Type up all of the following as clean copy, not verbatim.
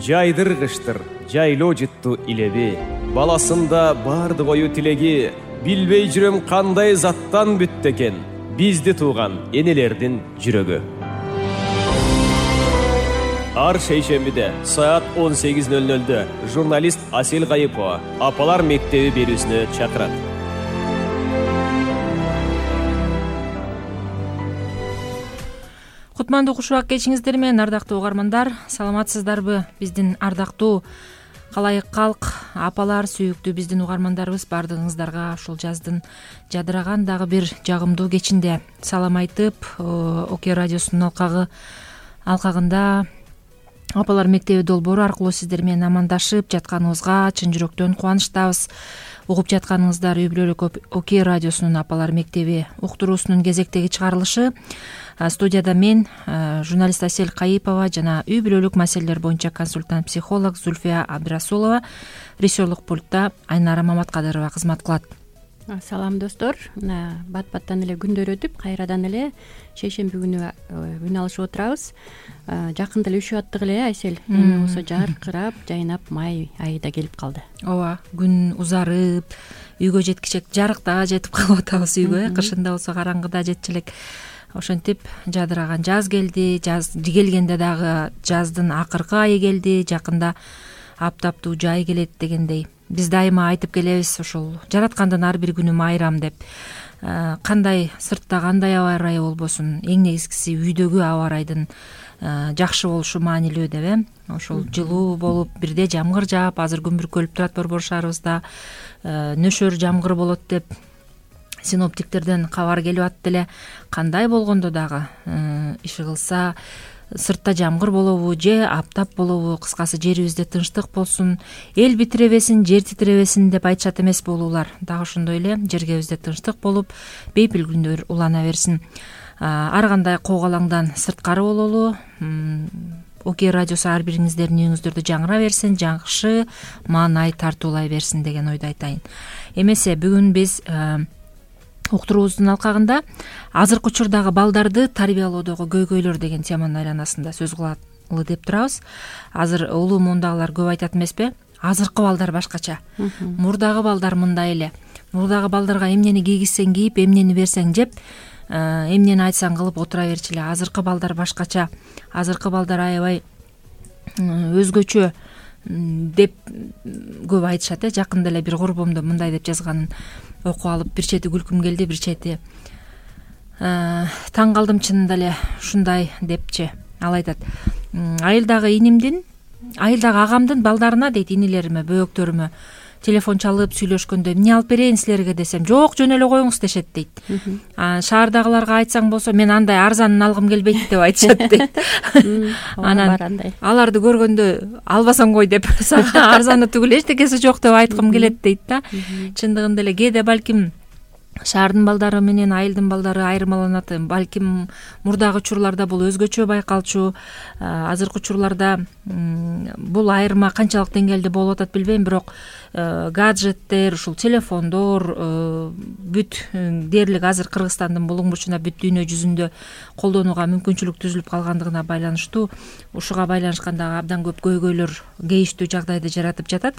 жайдыргыштыр жайлоо жытту илеби. Баласында барды кою тилеги, билбей жүрөм кандай заттан бүттү экен бизди тууган энелердин жүрөгү. Ар шейшембиде саат 18:00 журналист Асел Кайыпова Апалар мектеби берүүсүнө чакырат. Кутмандуу кушубак кечиңиздер менен, ардактуу угармандар, саламатсыздарбы? Биздин ардактуу калайык калк, апалар, сүйүктүү биздин угармандарыбыз, баардыгыңыздарга ушул жаздын жадыраган дагы бир жагымдуу кечинде салам айтып, ОК радиосунун алкагында Апалар мектеби долбоору аркылуу сиздер менен амандашып жатканыбызга чын жүрөктөн кубанычтабыз. Угуп жатканыңыздар үй бүлөлүк ОК радиосунун Апалар мектеби уктуруусунун кезектеги чыгарылышы. Студияда мен, журналист Асел Кайыпова жана үй бүлөлүк маселелер боюнча консультант психолог Зульфия Абдрасулова, режиссерлук пультта Айнара Маматкадырова кызмат кылат. Салам достор, бат-баттан эле күндөр өтүп, кайрадан эле шейшемби күнү үн алышып отурабыз. Жакында эле үшүп аттык эле, Айсел. Эми болсо жаркырап, жайнап, май айы да келип калды. Ооба, күн узарып, үйгө жеткичек жарыкта жетип калып атабыз үйгө. Кышында болсо караңгыда жетчү элек. Ошентип жадыраган жаз келди. Жаз келгенде дагы жаздын акыркы айы келди. Жакында аптаптуу жай келет дегендей. Биз дайыма айтып келебиз, ушул жараткандын ар бир күнү майрам деп. Кандай сыртта кандай аба ырайы болбосун, эң негизгиси үйдөгү аба ырайдын жакшы болушу маанилүү деп. Ошол жылуу болуп, бирде жамгыр жаап, азыр күн бүркөлүп турат Борбор шаарыбызда. Нөшөр жамгыр болот деп синоптиктерден кабар келип атты эле. Кандай болгондо дагы иши кылса, сыртта жамгыр болобу же аптап болобу, кыскасы жерибизде тынчтык болсун, эл битиребесин, жер титиребесин деп айтышат эмеспи улуулар. Дагы ошондой эле жергебизде тынчтык болуп, бейпил күндөр улана берсин. Ар кандай коогалаңдан сырткары бололу. ОК радиосу ар бириңиздердин үйүңүздөрдө жаңыра берсин, жакшы маанай тартуулай берсин деген ойду айтайын. Эмесе бүгүн биз уктуруубуздун алкагында азыркы учурдагы балдарды тарбиялоодогу көйгөйлөр деген теманын айланасында сөз кылалы деп турабыз. Азыр улуу муундагылар көп айтат эмеспи? Азыркы балдар башкача. Мурдагы балдар мындай эле. Мурдагы балдарга эмнени кийгизсең кийип, эмнени берсең жеп, эмнени айтсаң кылып отура берчү эле. Азыркы балдар башкача. Азыркы балдар аябай өзгөчө деп көп айтышат. Жакында эле бир курбумду мындай деп жазганын окуп алып, бир чети күлкүм келди, бир чети таң калдым чынында эле ушундай депчи. Ал айтат: айылдагы инимдин, айылдагы агамдын балдарына дейт, инилериме, бөөктөрүмө телефон чалып сүйлөшкөндө эмне алып берейин силерге десем, жок, жөн эле коюңуз дешет дейт. Шаардагыларга айтсаң болсо, мен андай арзанын алгым келбейт деп айтышат дейт. Анан аларды көргөндө албасаң кой деп, арзаны түгүл эчтекеси жок деп айткым келет дейт да. Чындыгында эле кээде балким шаардын балдары менен айылдын балдары айырмаланат. Балким мурдагы учурларда бул өзгөчө байкалчу. Азыркы учурларда бул айырма канчалык деңгээлде болуп атат билбейм, бирок гаджеттер, ушул телефондор бүт дээрлик азыр Кыргызстандын булуң бурчуна, бүт дүйнө жүзүндө колдонууга мүмкүнчүлүк түзүлүп калгандыгына байланыштуу, ушуга байланышкан дагы абдан көп көйгөйлөр, кейиштүү жагдайды жаратып жатат.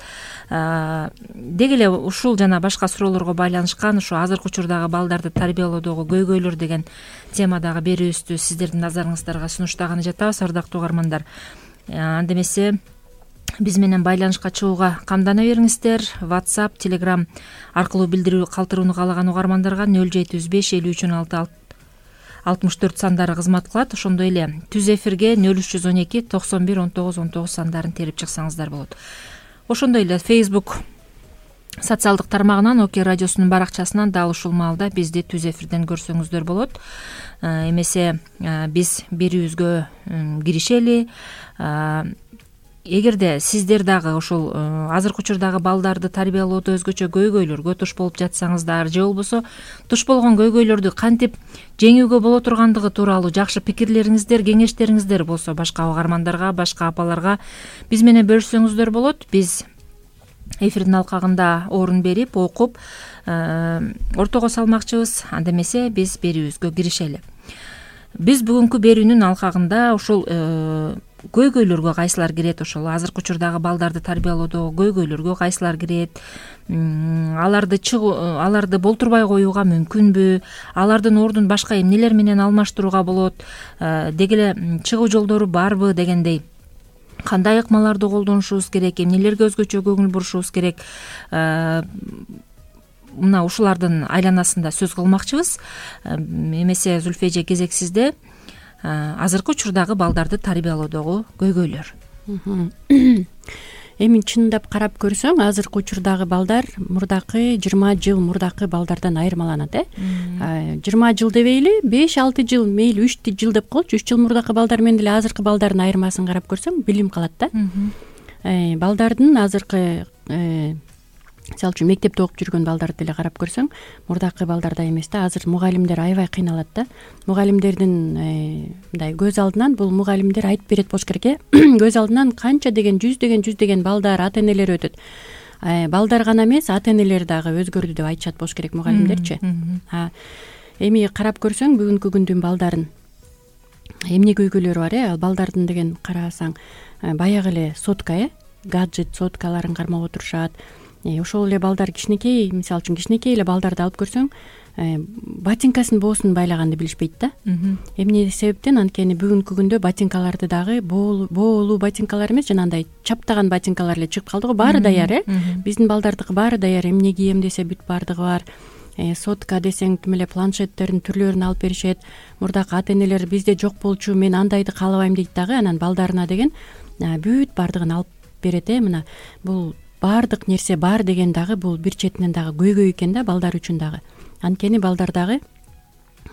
Деги эле ушул жана башка суроолорго байланышкан ушу азыркы учурдагы балдарды тарбиялоодогу көйгөйлөр деген темадагы берүүбүздү сиздердин назарыңыздарга сунуштаганы жатабыз, ардактуу угармандар. Анда эмесе биз менен байланышка чыгууга камдана бериңиздер. WhatsApp, Telegram аркылуу билдирүү калтырууну каалаган угармандарга 0735 53 64 сандары кызмат кылат. Ошондой эле түз эфирге 0312 91 19 19 сандарын терип чыксаңыздар болот. Ошондой эле Facebook социалдык тармагынан, ОК радиосунун баракчасынан дал ушул маалда бизди түз эфирден көрсөңүздөр болот. Эмесе биз берүүбүзгө киришели. Эгерде сиздер дагы ушул азыркы учурдагы балдарды тарбиялоодо өзгөчө көйгөйлөргө туш болуп жатсаңыздар, же болбосо туш болгон көйгөйлөрдү кантип жеңүүгө боло тургандыгы тууралуу жакшы пикирлериңиздер, кеңештериңиздер болсо, башка угармандарга, башка апаларга биз менен бөлүшсөңүздөр болот. Биз эфирдин алкагында орун берип, окуп, ортого салмакчыбыз. Анда эмесе биз берүүбүзгө киришели. Биз бүгүнкү берүүнүн алкагында ушул көйгөйлөргө кайсылар кирет, ошол азыркы учурдагы балдарды тарбиялоодо көйгөйлөргө кайсылар кирет, аларды болтурбай коюуга мүмкүнбү, алардын ордун башка эмнелер менен алмаштырууга болот, деги эле чыгуу жолдору барбы дегендей, кандай ыкмаларды колдонушубуз керек, эмнелерге өзгөчө көңүл бурушубуз керек, мына ушулардын айланасында сөз кылмакчыбыз. Эмесе Зүлфия эже, кезек сизде. Азыркы учурдагы балдарды тарбиялоодогу көйгөйлөр. Эми чындап карап көрсөң, азыркы учурдагы балдар мурдакы 20 жыл мурдакы балдардан айырмаланат. 20 жыл дебейли, 5-6 жыл, мейли 3 жыл деп коелучу, 3 жыл мурдакы балдар менен деле азыркы балдардын айырмасын карап көрсөң, билим калат да. Балдардын азыркы, мисалы үчүн мектепте окуп жүргөн балдарды деле карап көрсөң, мурдакы балдардай эмес да. Азыр мугалимдер аябай кыйналат да. Мугалимдердин мындай көз алдынан, бул мугалимдер айтып берет болуш керек. Көз алдынан канча деген, жүз деген балдар, ата энелери өтөт. Балдар гана эмес, ата энелер дагы өзгөрдү деп айтышат болуш керек мугалимдерчи. Эми карап көрсөң, бүгүнкү күндүн балдарын эмне көйгөйлөрү бар, ал балдардын деген карасаң, баягы эле сотка, гаджет соткаларын кармап отурушат. Ошол эле балдар кичинекей, мисалы үчүн кичинекей эле балдарды алып көрсөң, ботинкасын боосун байлаганды билишпейт да. Эмне себептен? Анткени бүгүнкү күндө ботинкаларды дагы боолуу ботинкалар эмес, жанагындай чаптаган ботинкалар эле чыгып калды го. Баары даяр, биздин балдардыкы баары даяр. Эмне кийем десе бүт баардыгы бар. Сотка десең, тим эле планшеттердин түрлөрүн алып беришет. Мурдакы ата энелер бизде жок болчу, мен андайды каалабайм дейт дагы. Анан балдарына деген бүт баардыгын алып берет. Мына бул баардык нерсе бар деген дагы бул бир четинен дагы көйгөй экен да балдар үчүн дагы. Анткени балдар дагы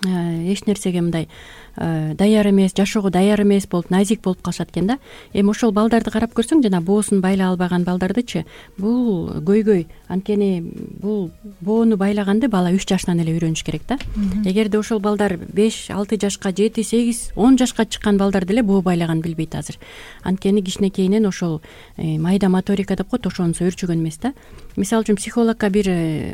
эч нерсеге мындай даяр эмес, жашоого даяр эмес болуп, назик болуп калышат экен да. Эми ошол балдарды карап көрсөң, жана боосун байлай албаган балдардычы, бул көйгөй. Анткени бул боону байлаганды бала 3 жаштан эле үйрөнүш керек да. Эгерде ошол балдар 5-6 жашка, 7-8, 10 жашка чыккан балдар деле боо байлаганды билбейт азыр. Анткени кичинекейинен ошол майда моторика деп коет, ошонусу өөрчүгөн эмес да. Мисалы үчүн психологко бир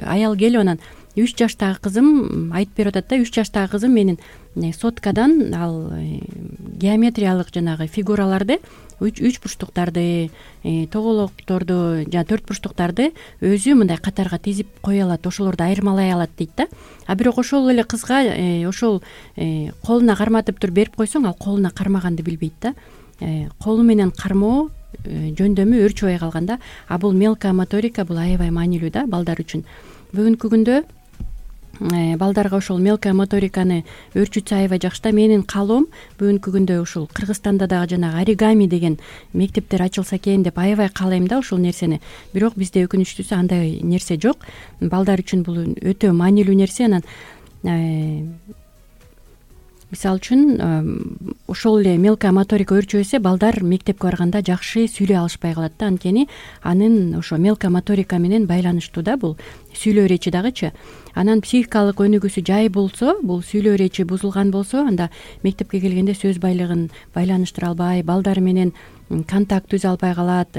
аял келип, анан 3 жаштагы кызым айтып берип атат да, 3 жаштагы кызым менин соткадан ал геометриялык жанагы фигураларды, 3 бурчтуктарды, тоголокторду, жана 4 бурчтуктарды өзү мындай катарга тизип кое алат, ошолорду айырмалай алат дейт да. А бирок ошол эле кызга ошол колуна карматып туруп берип койсоң, ал колуна кармаганды билбейт да. Колу менен кармоо жөндөмү өөрчүбөй калган да. А бул мелкая моторика, бул аябай маанилүү да балдар үчүн. Бүгүнкү күндө балдарга ошол мелкая моториканы өөрчүтсө аябай жакшы да. Менин каалоом бүгүнкү күндө ушул Кыргызстанда дагы жанагы оригами деген мектептер ачылса экен деп аябай каалайм да ушул нерсени. Бирок бизде өкүнүчтүүсү андай нерсе жок. Балдар үчүн бул өтө маанилүү нерсе. Анан мисалы үчүн ошол эле мелкая моторика өөрчөбөсө, балдар мектепке барганда жакшы сүйлөй алышпай калат да. Анткени анын ошо мелкая моторика менен байланыштуу да бул сүйлөө речи дагычы. Анан психикалык өнүгүүсү жай болсо, бул сүйлөө речи бузулган болсо, анда мектепке келгенде сөз байлыгын байланыштыра албай, балдар менен контакт түзө албай калат.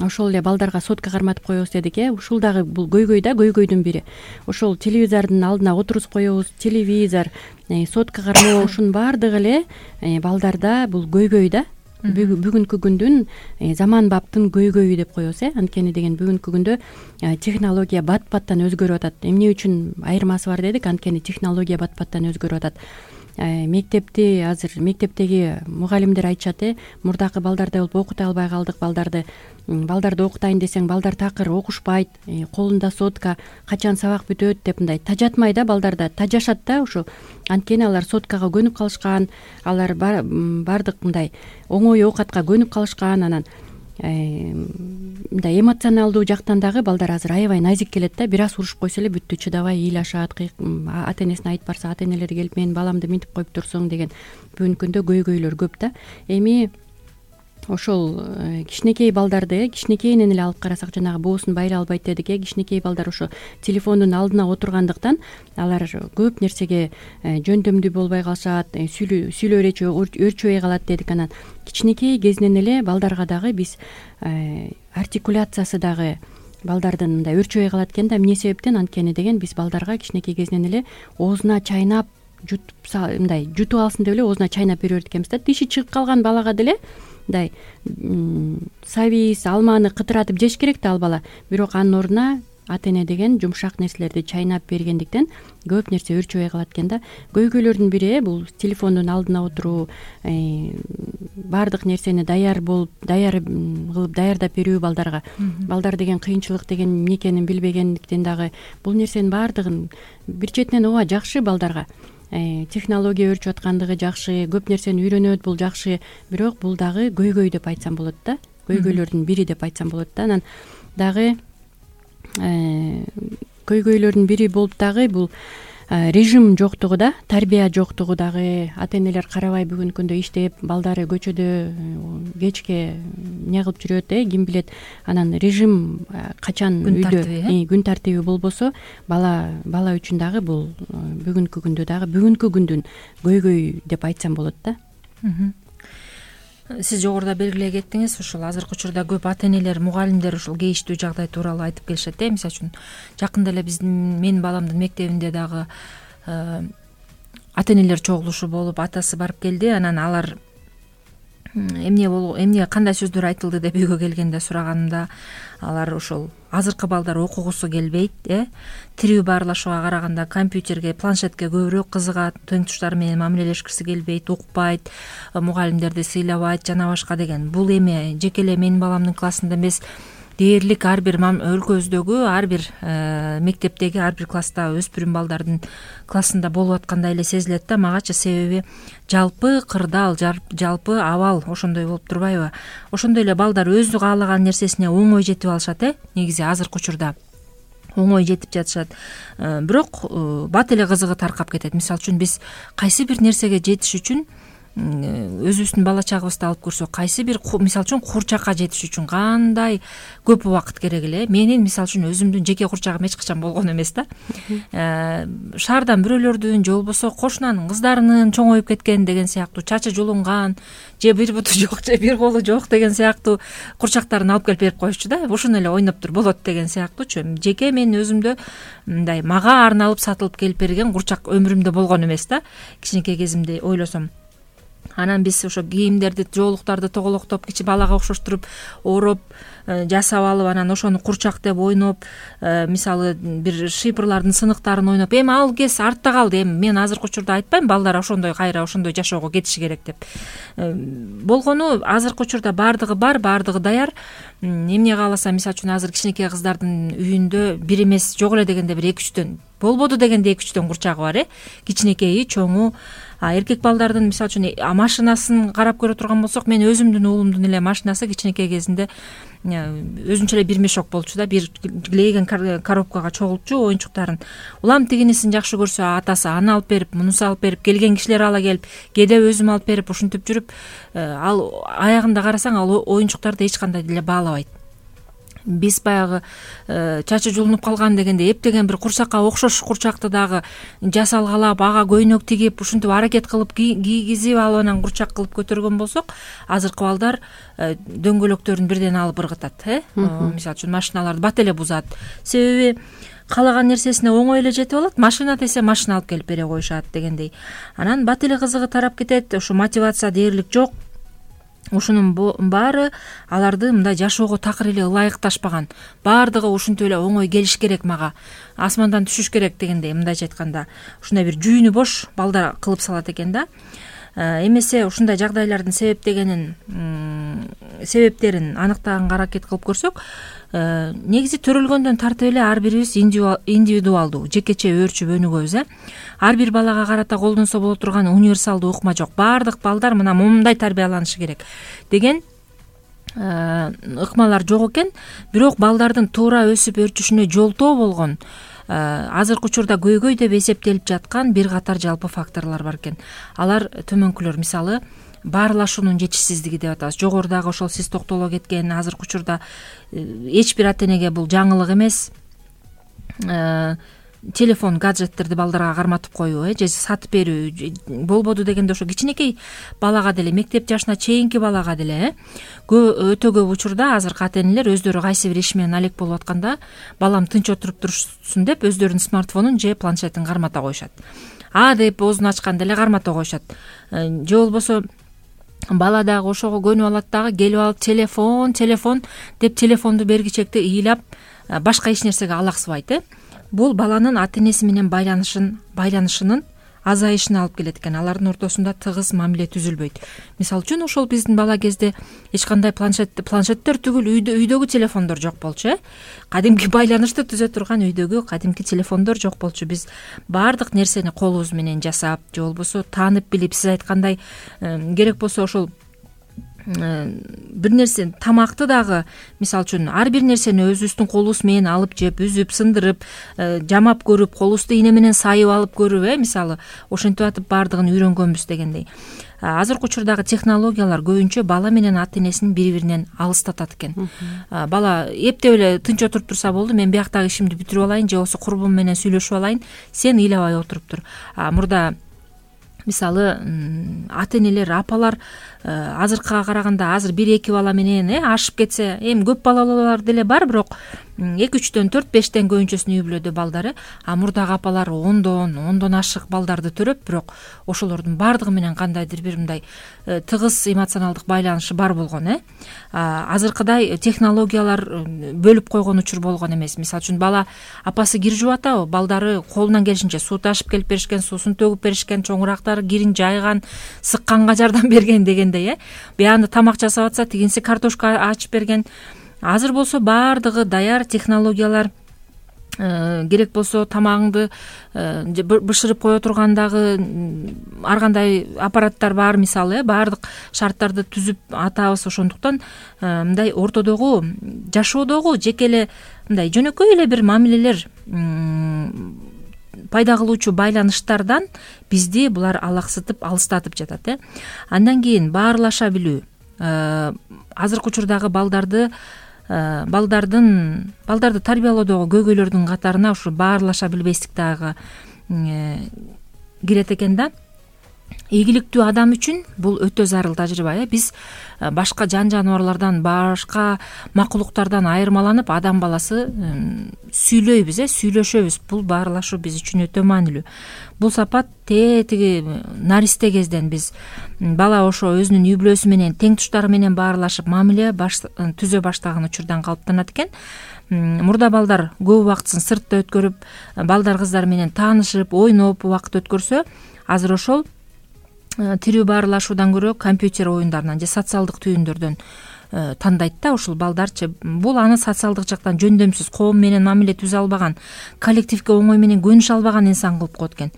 Ошол эле балдарга сотка карматып коебуз дедик, ушул дагы бул көйгөй да, көйгөйдүн бири. Ошол телевизордун алдына отургузуп коебуз, телевизор, сотка кармоо, ушунун баардыгы эле балдарда бул көйгөй да. Бүгүнкү күндүн заманбаптын көйгөйү деп коебуз. Анткени деген бүгүнкү күндө технология бат-баттан өзгөрүп атат. Эмне үчүн айырмасы бар дедик? Анткени технология бат-баттан өзгөрүп атат. Мектепти азыр мектептеги мугалимдер айтышат, мурдакы балдардай болуп окута албай калдык балдарды окутайын десең, балдар такыр окушпайт, колунда сотка, качан сабак бүтөт деп мындай тажатмай да, балдарда тажашат да ушу. Анткени алар соткага көнүп калышкан, алар баардык мындай оңой оокатка көнүп калышкан. Анан мындай эмоционалдуу жактан дагы балдар азыр аябай назик келет да. Бир аз урушуп койсо эле бүттү, чыдабай ыйлашат, ата энесине айтып барса, ата энелери келип менин баламды минтип коюп турсуң деген бүгүнкү күндө көйгөйлөр көп да. Эми ошол кичинекей балдарды кичинекейинен эле алып карасак, жанагы боосун байлай албайт дедик, кичинекей балдар ошо телефондун алдына отургандыктан алар көп нерсеге жөндөмдүү болбой калышат, сүйлөө речи өөрчүбөй калат дедик. Анан кичинекей кезинен эле балдарга дагы биз артикуляциясы дагы балдардын мындай өөрчүбөй калат экен да. Эмне себептен? Анткени деген биз балдарга кичинекей кезинен эле оозуна чайнап мындай жутуп алсын деп эле оозуна чайнап бере берет экенбиз да. Тиши чыгып калган балага деле мындай сабиз, алманы кытыратып жеш керек да ал бала, бирок анын ордуна ата эне деген жумшак нерселерди чайнап бергендиктен көп нерсе өөрчөбөй калат экен да. Көйгөйлөрдүн бири бул телефондун алдына отуруу, баардык нерсени даяр кылып даярдап берүү балдарга. Балдар деген кыйынчылык деген эмне экенин билбегендиктен дагы бул нерсенин баардыгын бир четинен ооба жакшы балдарга. Технология өөрчүп аткандыгы жакшы, көп нерсени үйрөнөт, бул жакшы, бирок бул дагы көйгөй деп айтсам болот да. Көйгөйлөрдүн бири деп айтсам болот да. Анан дагы көйгөйлөрдүн бири болуп дагы бул режим жоктугу да, тарбия жоктугу дагы. Ата энелер карабай бүгүнкү күндө иштеп, балдары көчөдө кечке эмне кылып жүрөт, ким билет. Анан режим качан үйдө күн тартиби болбосо, бала үчүн дагы бул бүгүнкү күндө дагы бүгүнкү күндүн көйгөй деп айтсам болот да. Сиз жогоруда белгилей кеттиңиз, ушул азыркы учурда көп ата энелер, мугалимдер ушул кейиштүү жагдай тууралуу айтып келишет. Мисалы үчүн жакында эле менин баламдын мектебинде дагы ата энелер чогулушу болуп, атасы барып келди. Анан алар эмне кандай сөздөр айтылды деп үйгө келгенде сураганымда, алар ошол азыркы балдар окугусу келбейт, тирүү баарлашууга караганда компьютерге, планшетке көбүрөөк кызыгат, тең туштары менен мамилелешкиси келбейт, укпайт, мугалимдерди сыйлабайт жана башка деген. Бул эми жеке эле менин баламдын классында эмес, дээрлик ар бир өлкөбүздөгү ар бир мектептеги ар бир класста өспүрүм балдардын классында болуп аткандай эле сезилет да магачы. Себеби жалпы кырдаал, жалпы абал ошондой болуп турбайбы? Ошондой эле балдар өзү каалаган нерсесине оңой жетип алышат, негизи азыркы учурда оңой жетип жатышат. Бирок бат эле кызыгы таркап кетет. Мисалы үчүн биз кайсы бир нерсеге жетиш үчүн өзүбүздүн бала чагыбызды алып көрсөк, кайсы бир мисалы үчүн курчакка жетиш үчүн кандай көп убакыт керек эле. Менин мисалы үчүн өзүмдүн жеке курчагым эч качан болгон эмес да. Шаардан бирөөлөрдүн же болбосо кошунанын кыздарынын чоңоюп кеткен деген сыяктуу, чачы жулунган, же бир буту жок, же бир колу жок деген сыяктуу курчактарын алып келип берип коюшчу да. Ошону эле ойноп тур болот деген сыяктуучу. Жеке мен өзүмдө мындай мага арналып сатылып келип берген курчак өмүрүмдө болгон эмес да. Кичинекей кезимде ойлосом. Анан биз ошо кийимдерди, жоолуктарды тоголоктоп, кичи балага окшоштуруп, ороп, жасап алып, анан ошону курчак деп ойноп, мисалы бир шыйпырлардын сыныктарын ойноп, эми ал кез артта калды. Эми мен азыркы учурда айтпайм балдар ошондой кайра ошондой жашоого кетиши керек деп. Болгону азыркы учурда баардыгы бар, баардыгы даяр. Эмне кааласа, мисалы үчүн азыр кичинекей кыздардын үйүндө бир эмес, жок эле дегенде бир 2-3төн, болбоду дегенде 2-3төн курчагы бар, кичинекейи, чоңу. Эркек балдардын мисалы үчүн машинасын карап көрө турган болсок, мен өзүмдүн уулумдун эле машинасы кичинекей кезинде өзүнчө эле бир мешок болчу да, бир глейген коробкага чогултчу оюнчуктарын. Улам тигинисин жакшы көрсө атасы аны алып берип, мунусу алып берип, келген кишилер ала келип, кээде өзүм алып берип, ушинтип жүрүп, ал аягында карасаң ал оюнчуктарды эч кандай деле баалабайт. Биз баягы чачы жулунуп калган дегенде эптеген бир курсакка окшош курчакты дагы жасалгалап, ага көйнөк тигип, ушинтип аракет кылып кийгизип алып анан курчак кылып көтөргөн болсок, азыркы балдар дөңгөлөктөрүн бирден алып ыргытат, мисалы үчүн машиналарды бат эле бузат. Себеби каалаган нерсесине оңой эле жетип алат, машина десе машина алып келип бере коюшат дегендей. Анан бат эле кызыгы тарап кетет, ошо мотивация дээрлик жок. Ушунун баары аларды мындай жашоого такыр эле ылайыкташпаган. Баардыгы ушинтип эле оңой келиш керек мага, асмандан түшүш керек дегендей, мындайча айтканда ушундай бир жүйүнү бош балдар кылып салат экен да. Эмесе ушундай жагдайлардын себептерин аныктаганга аракет кылып көрсөк, негизи төрөлгөндөн тартып эле ар бирибиз индивидуалдуу, жекече өөрчүп өнүгөбүз. Ар бир балага карата колдонсо боло турган универсалдуу ыкма жок. Баардык балдар мына момундай тарбияланышы керек деген ыкмалар жок экен. Бирок балдардын туура өсүп өрчүшүнө жолтоо болгон азыркы учурда көйгөй деп эсептелип жаткан бир катар жалпы факторлор бар экен. Алар төмөнкүлөр, мисалы баарлашуунун жетишсиздиги деп атабыз. Жогорудагы ошол сиз токтоло кеткен азыркы учурда эч бир ата энеге бул жаңылык эмес. Телефон, гаджеттерди балдарга карматып коюу, же сатып берүү болбоду дегенде ошо кичинекей балага деле, мектеп жашына чейинки балага деле өтө көп учурда азыркы ата энелер өздөрү кайсы бир иш менен алек болуп атканда балам тынч отуруп турушсун деп өздөрүнүн смартфонун же планшетин кармата коюшат. деп оозун ачканда эле кармата коюшат. Же болбосо бала дагы ошого көнүп алат дагы, келип алып телефон деп телефонду бергичекти ыйлап башка эч нерсеге алаксыбайт. Бул баланын ата энеси менен байланышынын азайышына алып келет экен. Алардын ортосунда тыгыз мамиле түзүлбөйт. Мисалы үчүн ошол биздин бала кезде эч кандай планшеттер түгүл үйдөгү телефондор жок болчу. Кадимки байланышты түзө турган үйдөгү кадимки телефондор жок болчу. Биз баардык нерсени колубуз менен жасап, же болбосо таанып билип, сиз айткандай керек болсо ошол бир нерсе тамакты дагы мисалы үчүн ар бир нерсени өзүбүздүн колубуз менен алып жеп, үзүп, сындырып, жамап көрүп, колубузду ийне менен сайып алып көрүп, мисалы ошентип атып баардыгын үйрөнгөнбүз дегендей. Азыркы учурдагы технологиялар көбүнчө бала менен ата энесин бири-биринен алыстатат экен. Бала эптеп эле тынч отуруп турса болду, мен бияктагы ишимди бүтүрүп алайын, же болбосо курбум менен сүйлөшүп алайын, сен ыйлабай отуруп тур. Мурда мисалы ата энелер, апалар азыркыга караганда азыр 1-2 бала менен ашып кетсе, эми көп балалуулар деле бар, бирок 2-3төн 4-5тен көбүнчөсүнүн үй бүлөдө балдары, мурдагы апалар ондон ашык балдарды төрөп, бирок ошолордун баардыгы менен кандайдыр бир мындай тыгыз эмоционалдык байланышы бар болгон. Азыркыдай технологиялар бөлүп койгон учур болгон эмес. Мисалы үчүн бала апасы кир жууп атабы, балдары колунан келишинче суу ташып келип беришкен, суусун төгүп беришкен, чоңурактары кирин жайган, сыкканга жардам берген дегендей. Биянда тамак жасап атса, тигинси картошка ачып берген. Азыр болсо баардыгы даяр, технологиялар керек болсо тамагыңды бышырып кое тургандагы ар кандай аппараттар бар, мисалы баардык шарттарды түзүп атабыз. Ошондуктан мындай ортодогу жашоодогу жеке эле мындай жөнөкөй эле бир мамилелер пайда кылуучу байланыштардан бизди булар алаксытып, алыстатып жатат. Андан кийин баарлаша билүү. Азыркы учурдагы балдарды тарбиялоодогу көйгөйлөрдүн катарына ушу баарлаша билбестик дагы кирет экен да. Ийгиликтүү адам үчүн бул өтө зарыл тажрыйба. Биз башка жаныбарлардан, башка макулуктардан айырмаланып, адам баласы сүйлөйбүз, сүйлөшөбүз. Бул баарлашуу биз үчүн өтө маанилүү. Бул сапат тиги наристе кезден биз бала ошо өзүнүн үй бүлөсү менен, тең туштары менен баарлашып, мамиле түзө баштаган учурдан калыптанат экен. Мурда балдар көп убактысын сыртта өткөрүп, балдар кыздар менен таанышып, ойноп убакыт өткөрсө, азыр ошол тирүү баарлашуудан көрө компьютер оюндарынан же социалдык түйүндөрдөн тандайт да ушул балдарчы. Бул аны социалдык жактан жөндөмсүз, коом менен мамиле түзө албаган, коллективге оңой менен көнүшө албаган инсан кылып коет экен.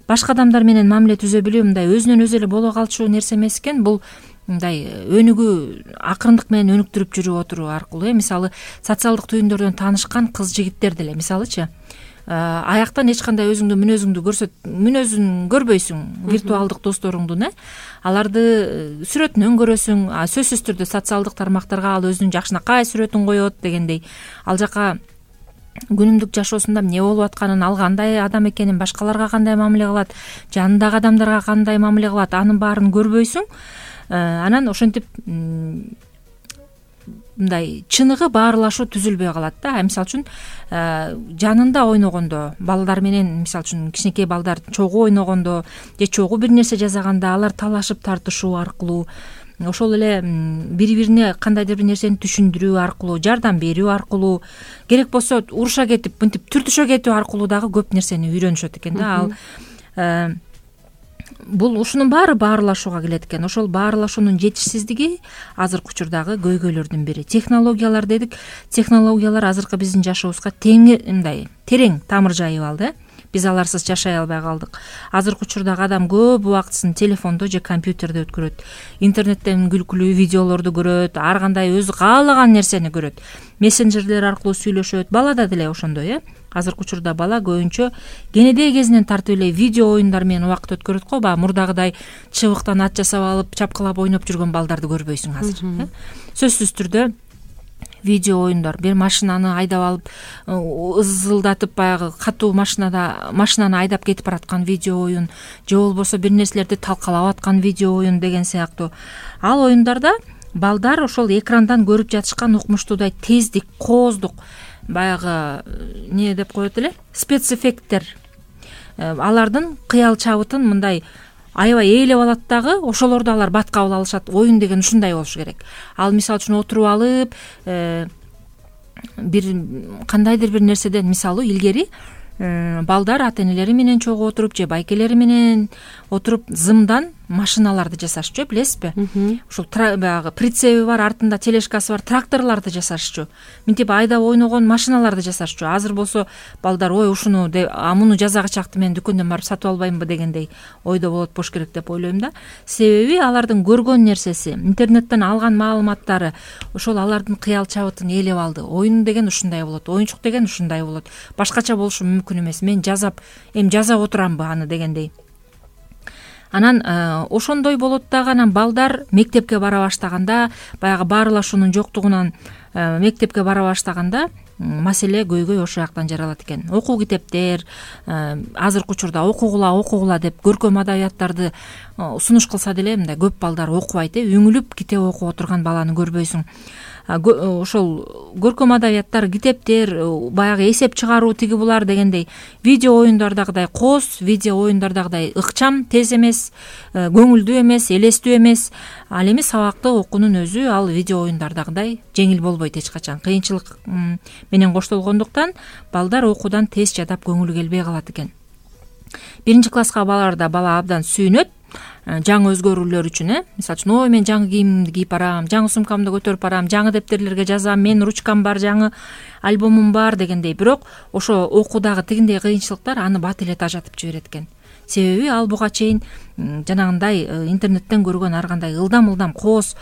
Башка адамдар менен мамиле түзө билүү мындай өзүнөн өзү эле боло калчу нерсе эмес экен. Бул мындай өнүгүү, акырындык менен өнүктүрүп жүрүп отуруу аркылуу. Мисалы социалдык түйүндөрдөн таанышкан кыз жигиттер деле мисалычы аяктан эч кандай мүнөзүң көрбөйсүң, виртуалдык досторуңдун, аларды сүрөтүнөн көрөсүң, сөзсүз түрдө социалдык тармактарга ал өзүнүн жакшынакай сүрөтүн коет дегендей. Ал жака күнүмдүк жашоосунда эмне болуп атканын, ал кандай адам экенин, башкаларга кандай мамиле кылат, жанындагы адамдарга кандай мамиле кылат, анын баарын көрбөйсүң. Анан ошентип мындай чыныгы баарлашуу түзүлбөй калат да. Мисалы үчүн жанында ойногондо, балдар менен мисалы үчүн кичинекей балдар чогуу ойногондо же чогуу бир нерсе жасаганда алар талашып тартышуу аркылуу, ошол эле бири-бирине кандайдыр бир нерсени түшүндүрүү аркылуу, жардам берүү аркылуу, керек болсо уруша кетип, мынтип түртүшө кетүү аркылуу дагы көп нерсени үйрөнүшөт экен да. Ал бул ушунун баары баарлашууга келет экен. Ошол баарлашуунун жетишсиздиги азыркы учурдагы көйгөйлөрдүн бири. Технологиялар дедик. Технологиялар азыркы биздин жашообузга терең тамыр жайып алды. Биз аларсыз жашай албай калдык. Азыркы учурдагы адам көп убактысын телефондо же компьютерде өткөрөт. Интернеттен күлкүлүү видеолорду көрөт, ар кандай өзү каалаган нерсени көрөт. Мессенджерлер аркылуу сүйлөшөт. Балада деле ошондой, Азыркы учурда бала көбүнчө кенедей кезинен тартып эле видео оюндар менен убакыт өткөрөт го. Мурдагыдай чыбыктан ат жасап алып, чапкылап ойноп жүргөн балдарды көрбөйсүң азыр. Сөзсүз түрдө видео оюндар, бир машинаны айдап алып, ызылдатып баягы катуу машинаны айдап кетип бараткан видео оюн, же болбосо бир нерселерди талкалап аткан видео оюн деген сыяктуу. Ал оюндарда балдар ошол экрандан көрүп жатышкан укмуштуудай тездик, кооздук, баягы эмне деп коет эле, спецэффекттер, алардын кыял чабытын мындай аябай ээлеп алат дагы, ошолорду алар бат кабыл алышат. Оюн деген ушундай болуш керек. Ал мисалы үчүн отуруп алып бир кандайдыр бир нерседен, мисалы илгери балдар ата энелери менен чогуу отуруп же байкелери менен отуруп зымдан машиналарды жасашчу, билесизби? Ушул баягы прицеби бар, артында тележкасы бар тракторлорду жасашчу. Минтип айдап ойногон машиналарды жасашчу. Азыр болсо балдар ой ушуну муну жазага чакты мен дүкөндөн барып сатып албаймынбы дегендей ойдо болот болуш керек деп ойлойм да. Себеби алардын көргөн нерсеси, интернеттен алган маалыматтары ошол алардын кыял чабытын ээлеп алды. Оюн деген ушундай болот, оюнчук деген ушундай болот. Башкача болушу мүмкүн эмес. Мен жасап отурамбы аны дегендей. Анан ошондой болот дагы. Анан балдар мектепке бара баштаганда, баягы баарылашуунун жоктугунан мектепке бара баштаганда маселе көйгөй ошол жактан жаралат экен. Окуу китептер, азыркы учурда окугула деп көркөм адабияттарды сунуш кылса деле мындай көп балдар окубайт. Үңүлүп китеп окуп отурган баланы көрбөйсүң. Ошол көркөм адабияттар, китептер, баягы эсеп чыгаруу тиги булар дегендей видео оюндардагыдай коз, видео оюндардагыдай ыкчам, тез эмес, көңүлдүү эмес, элестүү эмес. Ал эми сабакты окуунун өзү ал видео оюндардагыдай жеңил болбойт эч качан. Кыйынчылык менен коштолгондуктан балдар окуудан тез жадап көңүлү келбей калат экен. 1-класска барарда бала абдан сүйүнөт жаңы өзгөрүүлөр үчүн. Мисалы үчүн, ой мен жаңы кийимимди кийип барам, жаңы сумкамды көтөрүп барам, жаңы дептерлерге жазам, мен ручкам бар, жаңы альбомум бар дегендей. Бирок ошо окуудагы тигиндей кыйынчылыктар аны бат эле тажатып жиберет экен. Себеби ал буга чейин жанагындай интернеттен көргөн ар кандай ылдам коз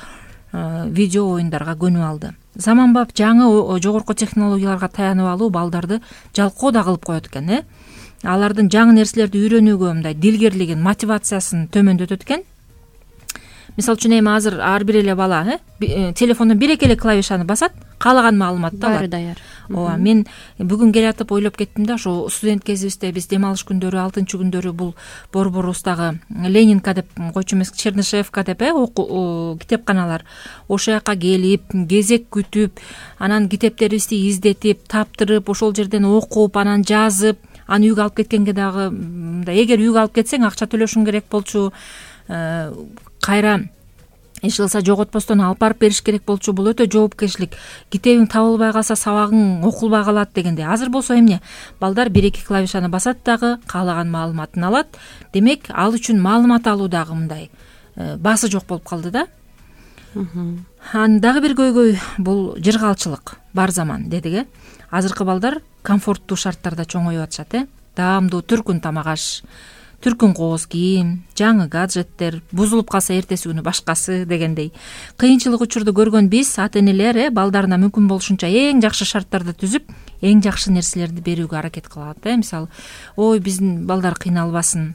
видео оюндарга көнүп алды. Заманбап жаңы жогорку технологияларга таянып алуу балдарды жалкоо да кылып коет экен. Алардын жаңы нерселерди үйрөнүүгө мындай дилгерлигин, мотивациясын төмөндөтөт экен. Мисалы үчүн эми азыр ар бир эле бала телефондон бир-эки эле клавишаны басат, каалаган маалыматты алат. Баары даяр. Ооба, мен бүгүн келатып ойлоп кеттим да, ошо студент кезибизде биз дем алыш күндөрү, 6-күндөрү бул Борборуздагы Ленинка деп койчу эмес, Чернышевка деп китепканалар. Ошол жака келип, кезек күтүп, анан китептерибизди издетип, таптырып, ошол жерден окуп, анан жазып, аны үйгө алып кеткенге дагы эгер үйгө алып кетсең акча төлөшүң керек болчу. Кайра эч кылса жоготпостон алып барып бериш керек болчу. Бул өтө жоопкерчилик. Китебиң табылбай калса сабагың окулбай калат дегенде. Азыр болсо эмне? Балдар 1-2 клавишаны басат дагы каалаган маалыматын алат. Демек, ал үчүн маалымат алуу дагы мындай баасы жок болуп калды да. Дагы бир көйгөй бул жыргалчылык. Бар заман дедик. Азыркы балдар комфорттуу шарттарда чоңоюп атышат. Даамдуу түркүн тамак аш, түркүн кооз кийим, жаңы гаджеттер, бузулуп калса эртеси күнү башкасы дегендей. Кыйынчылык учурду көргөн биз, ата энелер балдарына мүмкүн болушунча эң жакшы шарттарды түзүп, эң жакшы нерселерди берүүгө аракет кылат. Мисалы, ой биздин балдар кыйналбасын,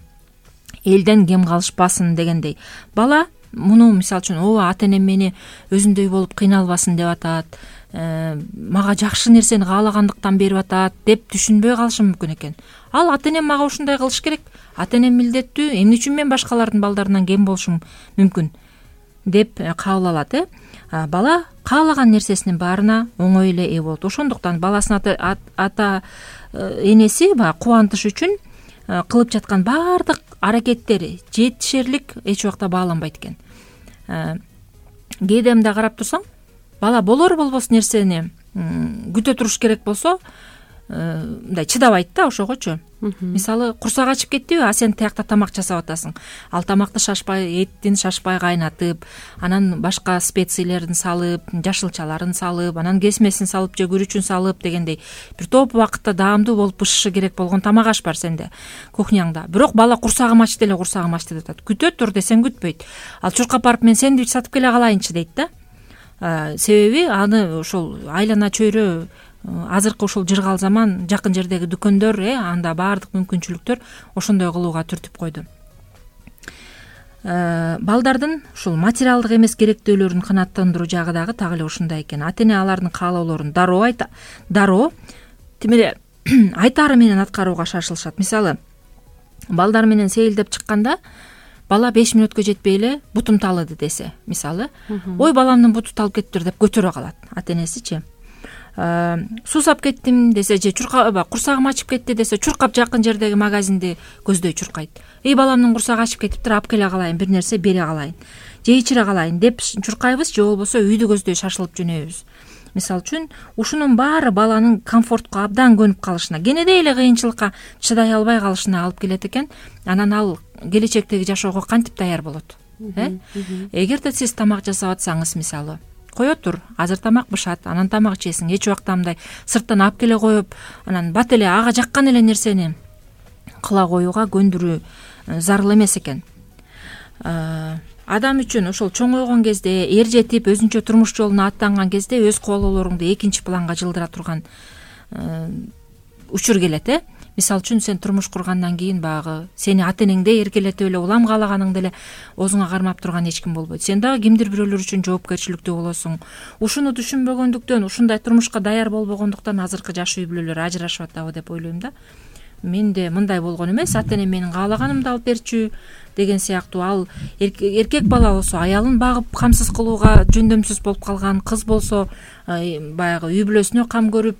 элден кем калышпасын дегендей. Бала муну мисалы үчүн ооба ата энем мени өзүндөй болуп кыйналбасын деп атат, мага жакшы нерсени каалагандыктан берип атат деп түшүнбөй калышы мүмкүн экен. Ал ата энем мага ушундай кылыш керек, ата энем милдеттүү, эмне үчүн мен башкалардын балдарынан кем болушум мүмкүн деп кабыл алат. Бала каалаган нерсесинин баарына оңой эле ээ болот. Ошондуктан баласынын ата энеси кубантыш үчүн кылып жаткан баардык аракеттери жетишерлик эч убакта бааланбайт экен. Кээде мындай карап турсаң, бала болор болбос нерсени күтө туруш керек болсо, мындай чыдабайт да ошогочу. Мисалы, курсак ачып кеттиби, сен тиякта тамак жасап атасың. Ал тамакты эттин шашпай кайнатып, анан башка специялерин салып, жашылчаларын салып, анан кесмесин салып же күрүчүн салып дегендей бир топ убакытта даамдуу болуп бышышы керек болгон тамак аш бар сенде кухняңда. Бирок бала курсагым ачты деп атат. Күтө тур десең күтпөйт. Ал чуркап барып мен сэндвич сатып келе калайынчы дейт да. Себеби аны ошол айлана чөйрө азыркы ушул жыргал заман жакын жердеги дүкөндөр анда баардык мүмкүнчүлүктөр ошондой кылууга түртүп койду. Балдардын ушул материалдык эмес керектөөлөрүн канааттандыруу жагы дагы так эле ушундай экен. Ата эне алардын каалоолорун дароо тимире айтаары менен аткарууга шашылышат. Мисалы, балдар менен сейилдеп чыкканда бала 5 мүнөткө жетпей эле бутум талыды десе, мисалы, ой баламдын буту талып кеттир деп көтөрө калат ата энесичи. суу сап кеттим десе же курсагым ачып кетти десе чуркап жакын жердеги магазинди көздөй чуркайт. Баламдын курсагы ачып кетиптир, алып келе калайын, бир нерсе бере калайын же ичире калайын деп чуркайбыз, же болбосо үйдү көздөй шашылып жөнөйбүз. Мисалы үчүн ушунун баары баланын комфортко абдан көнүп калышына, кенедей эле кыйынчылыкка чыдай албай калышына алып келет экен. Анан ал келечектеги жашоого кантип даяр болот? Эгерде сиз тамак жасап атсаңыз, мисалы, кое тур, азыр тамак бышат, анан тамак ичесиң, эч убакта мындай сырттан алып келе коюп, анан бат эле ага жаккан эле нерсени кыла коюуга көндүрүү зарыл эмес экен. Адам үчүн ошол чоңойгон кезде, эр жетип өзүнчө турмуш жолуна аттанган кезде өз каалоолоруңду экинчи планга жылдыра турган учур келет. Мисалы үчүн сен турмуш кургандан кийин баягы сени ата энеңдей эркелетип эле улам каалаганыңды эле оозуңа кармап турган эч ким болбойт. Сен дагы кимдир бирөөлөр үчүн жоопкерчиликтүү болосуң. Ушуну түшүнбөгөндүктөн, ушундай турмушка даяр болбогондуктан азыркы жаш үй бүлөлөр ажырашып атабы деп ойлойм да. Менде мындай болгон эмес, ата энем менин каалаганымды алып берчү деген сыяктуу. Ал эркек бала болсо аялын багып камсыз кылууга жөндөмсүз болуп калган, кыз болсо баягы үй бүлөсүнө кам көрүп,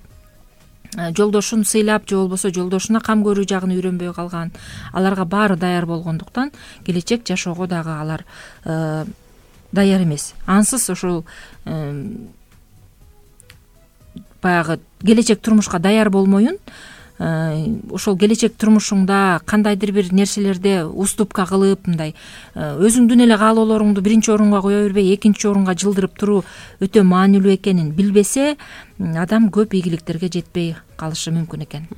жолдошун сыйлап же болбосо жолдошуна кам көрүү жагын үйрөнбөй калган. Аларга баары даяр болгондуктан келечек жашоого дагы алар даяр эмес. Ансыз ушул баягы келечек турмушка даяр болмоюн, ошол келечек турмушуңда кандайдыр бир нерселерде уступка кылып, мындай өзүңдүн эле каалоолоруңду биринчи орунга кое бербей экинчи орунга жылдырып туруу өтө маанилүү экенин билбесе, адам көп ийгиликтерге жетпей калышы мүмкүн экен.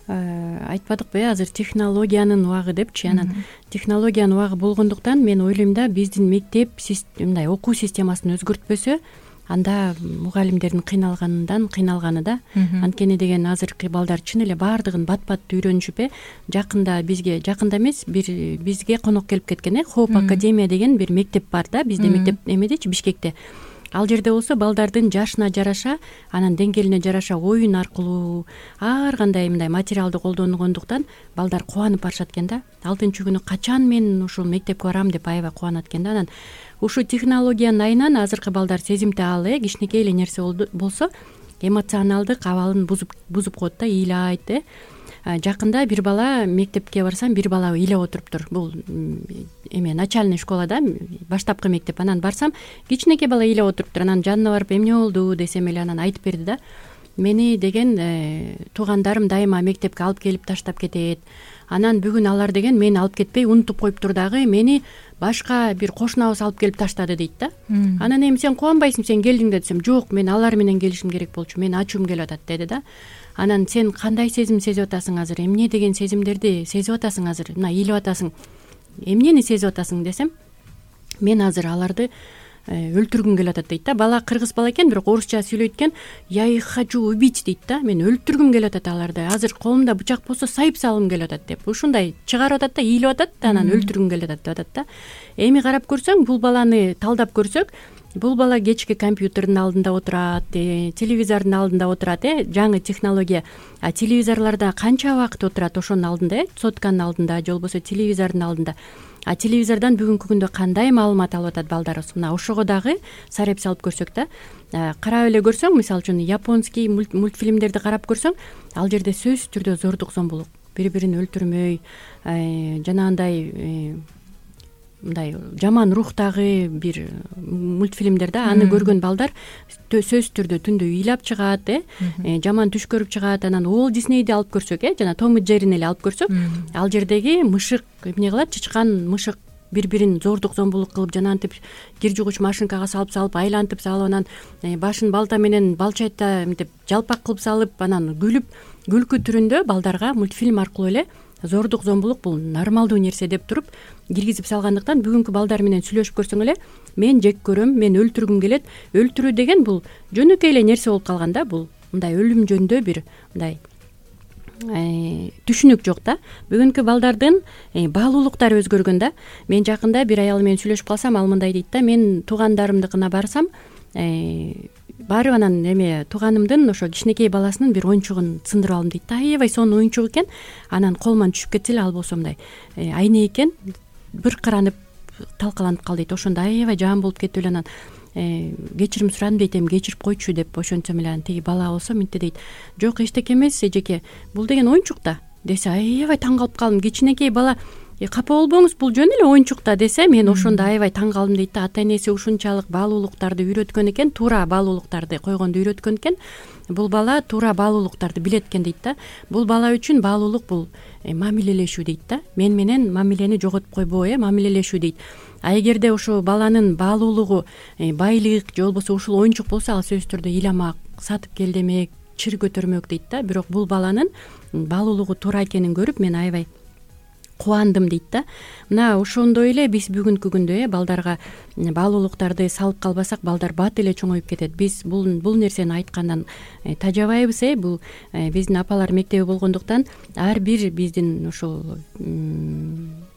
Айтпадыкпы азыр технологиянын убагы депчи. Анан технологиянын убагы болгондуктан мен ойлойм да, биздин мектеп мындай окуу системасын өзгөртпөсө, анда мугалимдердин кыйналганы да. Анткени деген азыркы балдар чын эле баардыгын бат-бат үйрөнүшүп, жакында эмес, бизге конок келип кеткен. Хоп академия деген бир мектеп бар да, бизде мектеп эмедечи, Бишкекте. Ал жерде болсо балдардын жашына жараша, анан деңгээлине жараша оюн аркылуу ар кандай мындай материалды колдонгондуктан балдар кубанып барышат экен да. 6-күнү качан мен ушул мектепке барам деп аябай кубанат экен да. Анан ушул технологиянын айынан азыркы балдар сезимтал, кичинекей эле нерсе болсо эмоционалдык абалын бузуп коет да, ыйлайт. Жакында бир бала мектепке барсам, бир бала ыйлап отуруптур. Бул начальный школада, баштапкы мектеп. Анан барсам, кичинекей бала ыйлап отуруптур. Анан жанына барып эмне болду десем эле анан айтып берди да. Мени деген туугандарым дайыма мектепке алып келип таштап кетет. Анан бүгүн алар деген мени алып кетпей унутуп коюптур дагы, мени башка бир кошунабыз алып келип таштады дейт да. Анан эми сен кубанбайсың, сен келдиң да десем, жок, мен алар менен келишим керек болчу, мен ачуум келип атат деди да. Анан сен кандай сезим сезип атасың азыр, эмне деген сезимдерди сезип атасың азыр, мына ыйлап атасың, эмнени сезип атасың десем, мен азыр аларды өлтүргүм келип атат дейт да. Бала кыргыз бала экен, бирок орусча сүйлөйт экен. Я их хочу убить дейт да. Мен өлтүргүм келип атат аларды. Азыр колумда бычак болсо сайып салгым келип атат деп. Ушундай чыгарып атат да, ыйлап атат да, анан өлтүргүм келип атат деп атат да. Эми карап көрсөң, бул баланы талдап көрсөк, бул бала кечки компьютердин алдында отурат, телевизордун алдында отурат, жаңы технология. Телевизорлордо канча убакыт отурат ошонун алдында, сотканын алдында же болбосо телевизордун алдында. Телевизордон бүгүнкү күндө кандай маалымат алып атат балдарыбыз? Мына ошого дагы сареп салып көрсөк да, карап эле көрсөң, мисалы үчүн японский мультфильмдерди карап көрсөң, ал жерде сөзсүз түрдө зордук зомбулук, бири-бирин өлтүрмөй, жанагындай мындай жаман рухтагы бир мультфильмдер да, аны көргөн балдар сөзсүз түрдө түндө ыйлап чыгат, жаман түш көрүп чыгат. Анан Уолт Диснейди алып көрсөк, жана Том и Джеррини эле алып көрсөк, ал жердеги мышык эмне кылат, чычкан мышык бири-бирин зордук зомбулук кылып, жанантип кир жугуч машинкага салып айлантып салып, анан башын балта менен балчайта мынтип жалпак кылып салып, анан күлкү түрүндө балдарга мультфильм аркылуу эле зордук зомбулук бул нормалдуу нерсе деп туруп киргизип салгандыктан бүгүнкү балдар менен сүйлөшүп көрсөң эле, мен жек көрөм, мен өлтүргүм келет. Өлтүрүү деген бул жөнөкөй эле нерсе болуп калган да. Бул мындай өлүм жөнүндө бир мындай түшүнүк жок да. Бүгүнкү балдардын баалуулуктары өзгөргөн да. Мен жакында бир аял менен сүйлөшүп калсам, ал мындай дейт да: мен туугандарымдыкына барсам, барып анан тууганымдын ошо кичинекей баласынын бир оюнчугун сындырып алдым дейт да. Аябай сонун оюнчук экен. Анан колуман түшүп кетсе эле, ал болсо мындай айне экен, быркыранып талкаланып кал дейт. Ошондо аябай жаман болуп кетип эле анан кечирим сурадым дейт, эми кечирип койчу деп ошентсем эле тиги бала болсо мынтип дейт, жок эчтеке эмес эжеке, бул деген оюнчук да десе, аябай таң калып калдым. Кичинекей бала капа болбоңуз, бул жөн эле оюнчук да десе, мен ошондо аябай таң калдым дейт да. Ата энеси ушунчалык баалуулуктарды үйрөткөн экен, туура баалуулуктарды койгонду үйрөткөн экен. Бул бала туура баалуулуктарды билет экен дейт да. Бул бала үчүн баалуулук бул мамилелешүү дейт да. Мен менен мамилени жоготуп койбоо, мамилелешүү дейт. А эгерде ошо баланын баалуулугу байлык же болбосо ушул оюнчук болсо, ал сөзсүз түрдө ыйламак, сатып кел демек, чыр көтөрмөк дейт да. Бирок бул баланын баалуулугу туура экенин көрүп мен аябай кубандым дейт да. Мына ошондой эле биз бүгүнкү күндө балдарга баалуулуктарды салып калбасак, балдар бат эле чоңоюп кетет. Биз бул нерсени айткандан тажабайбыз. Бул биздин апалар мектеби болгондуктан ар бир биздин ошол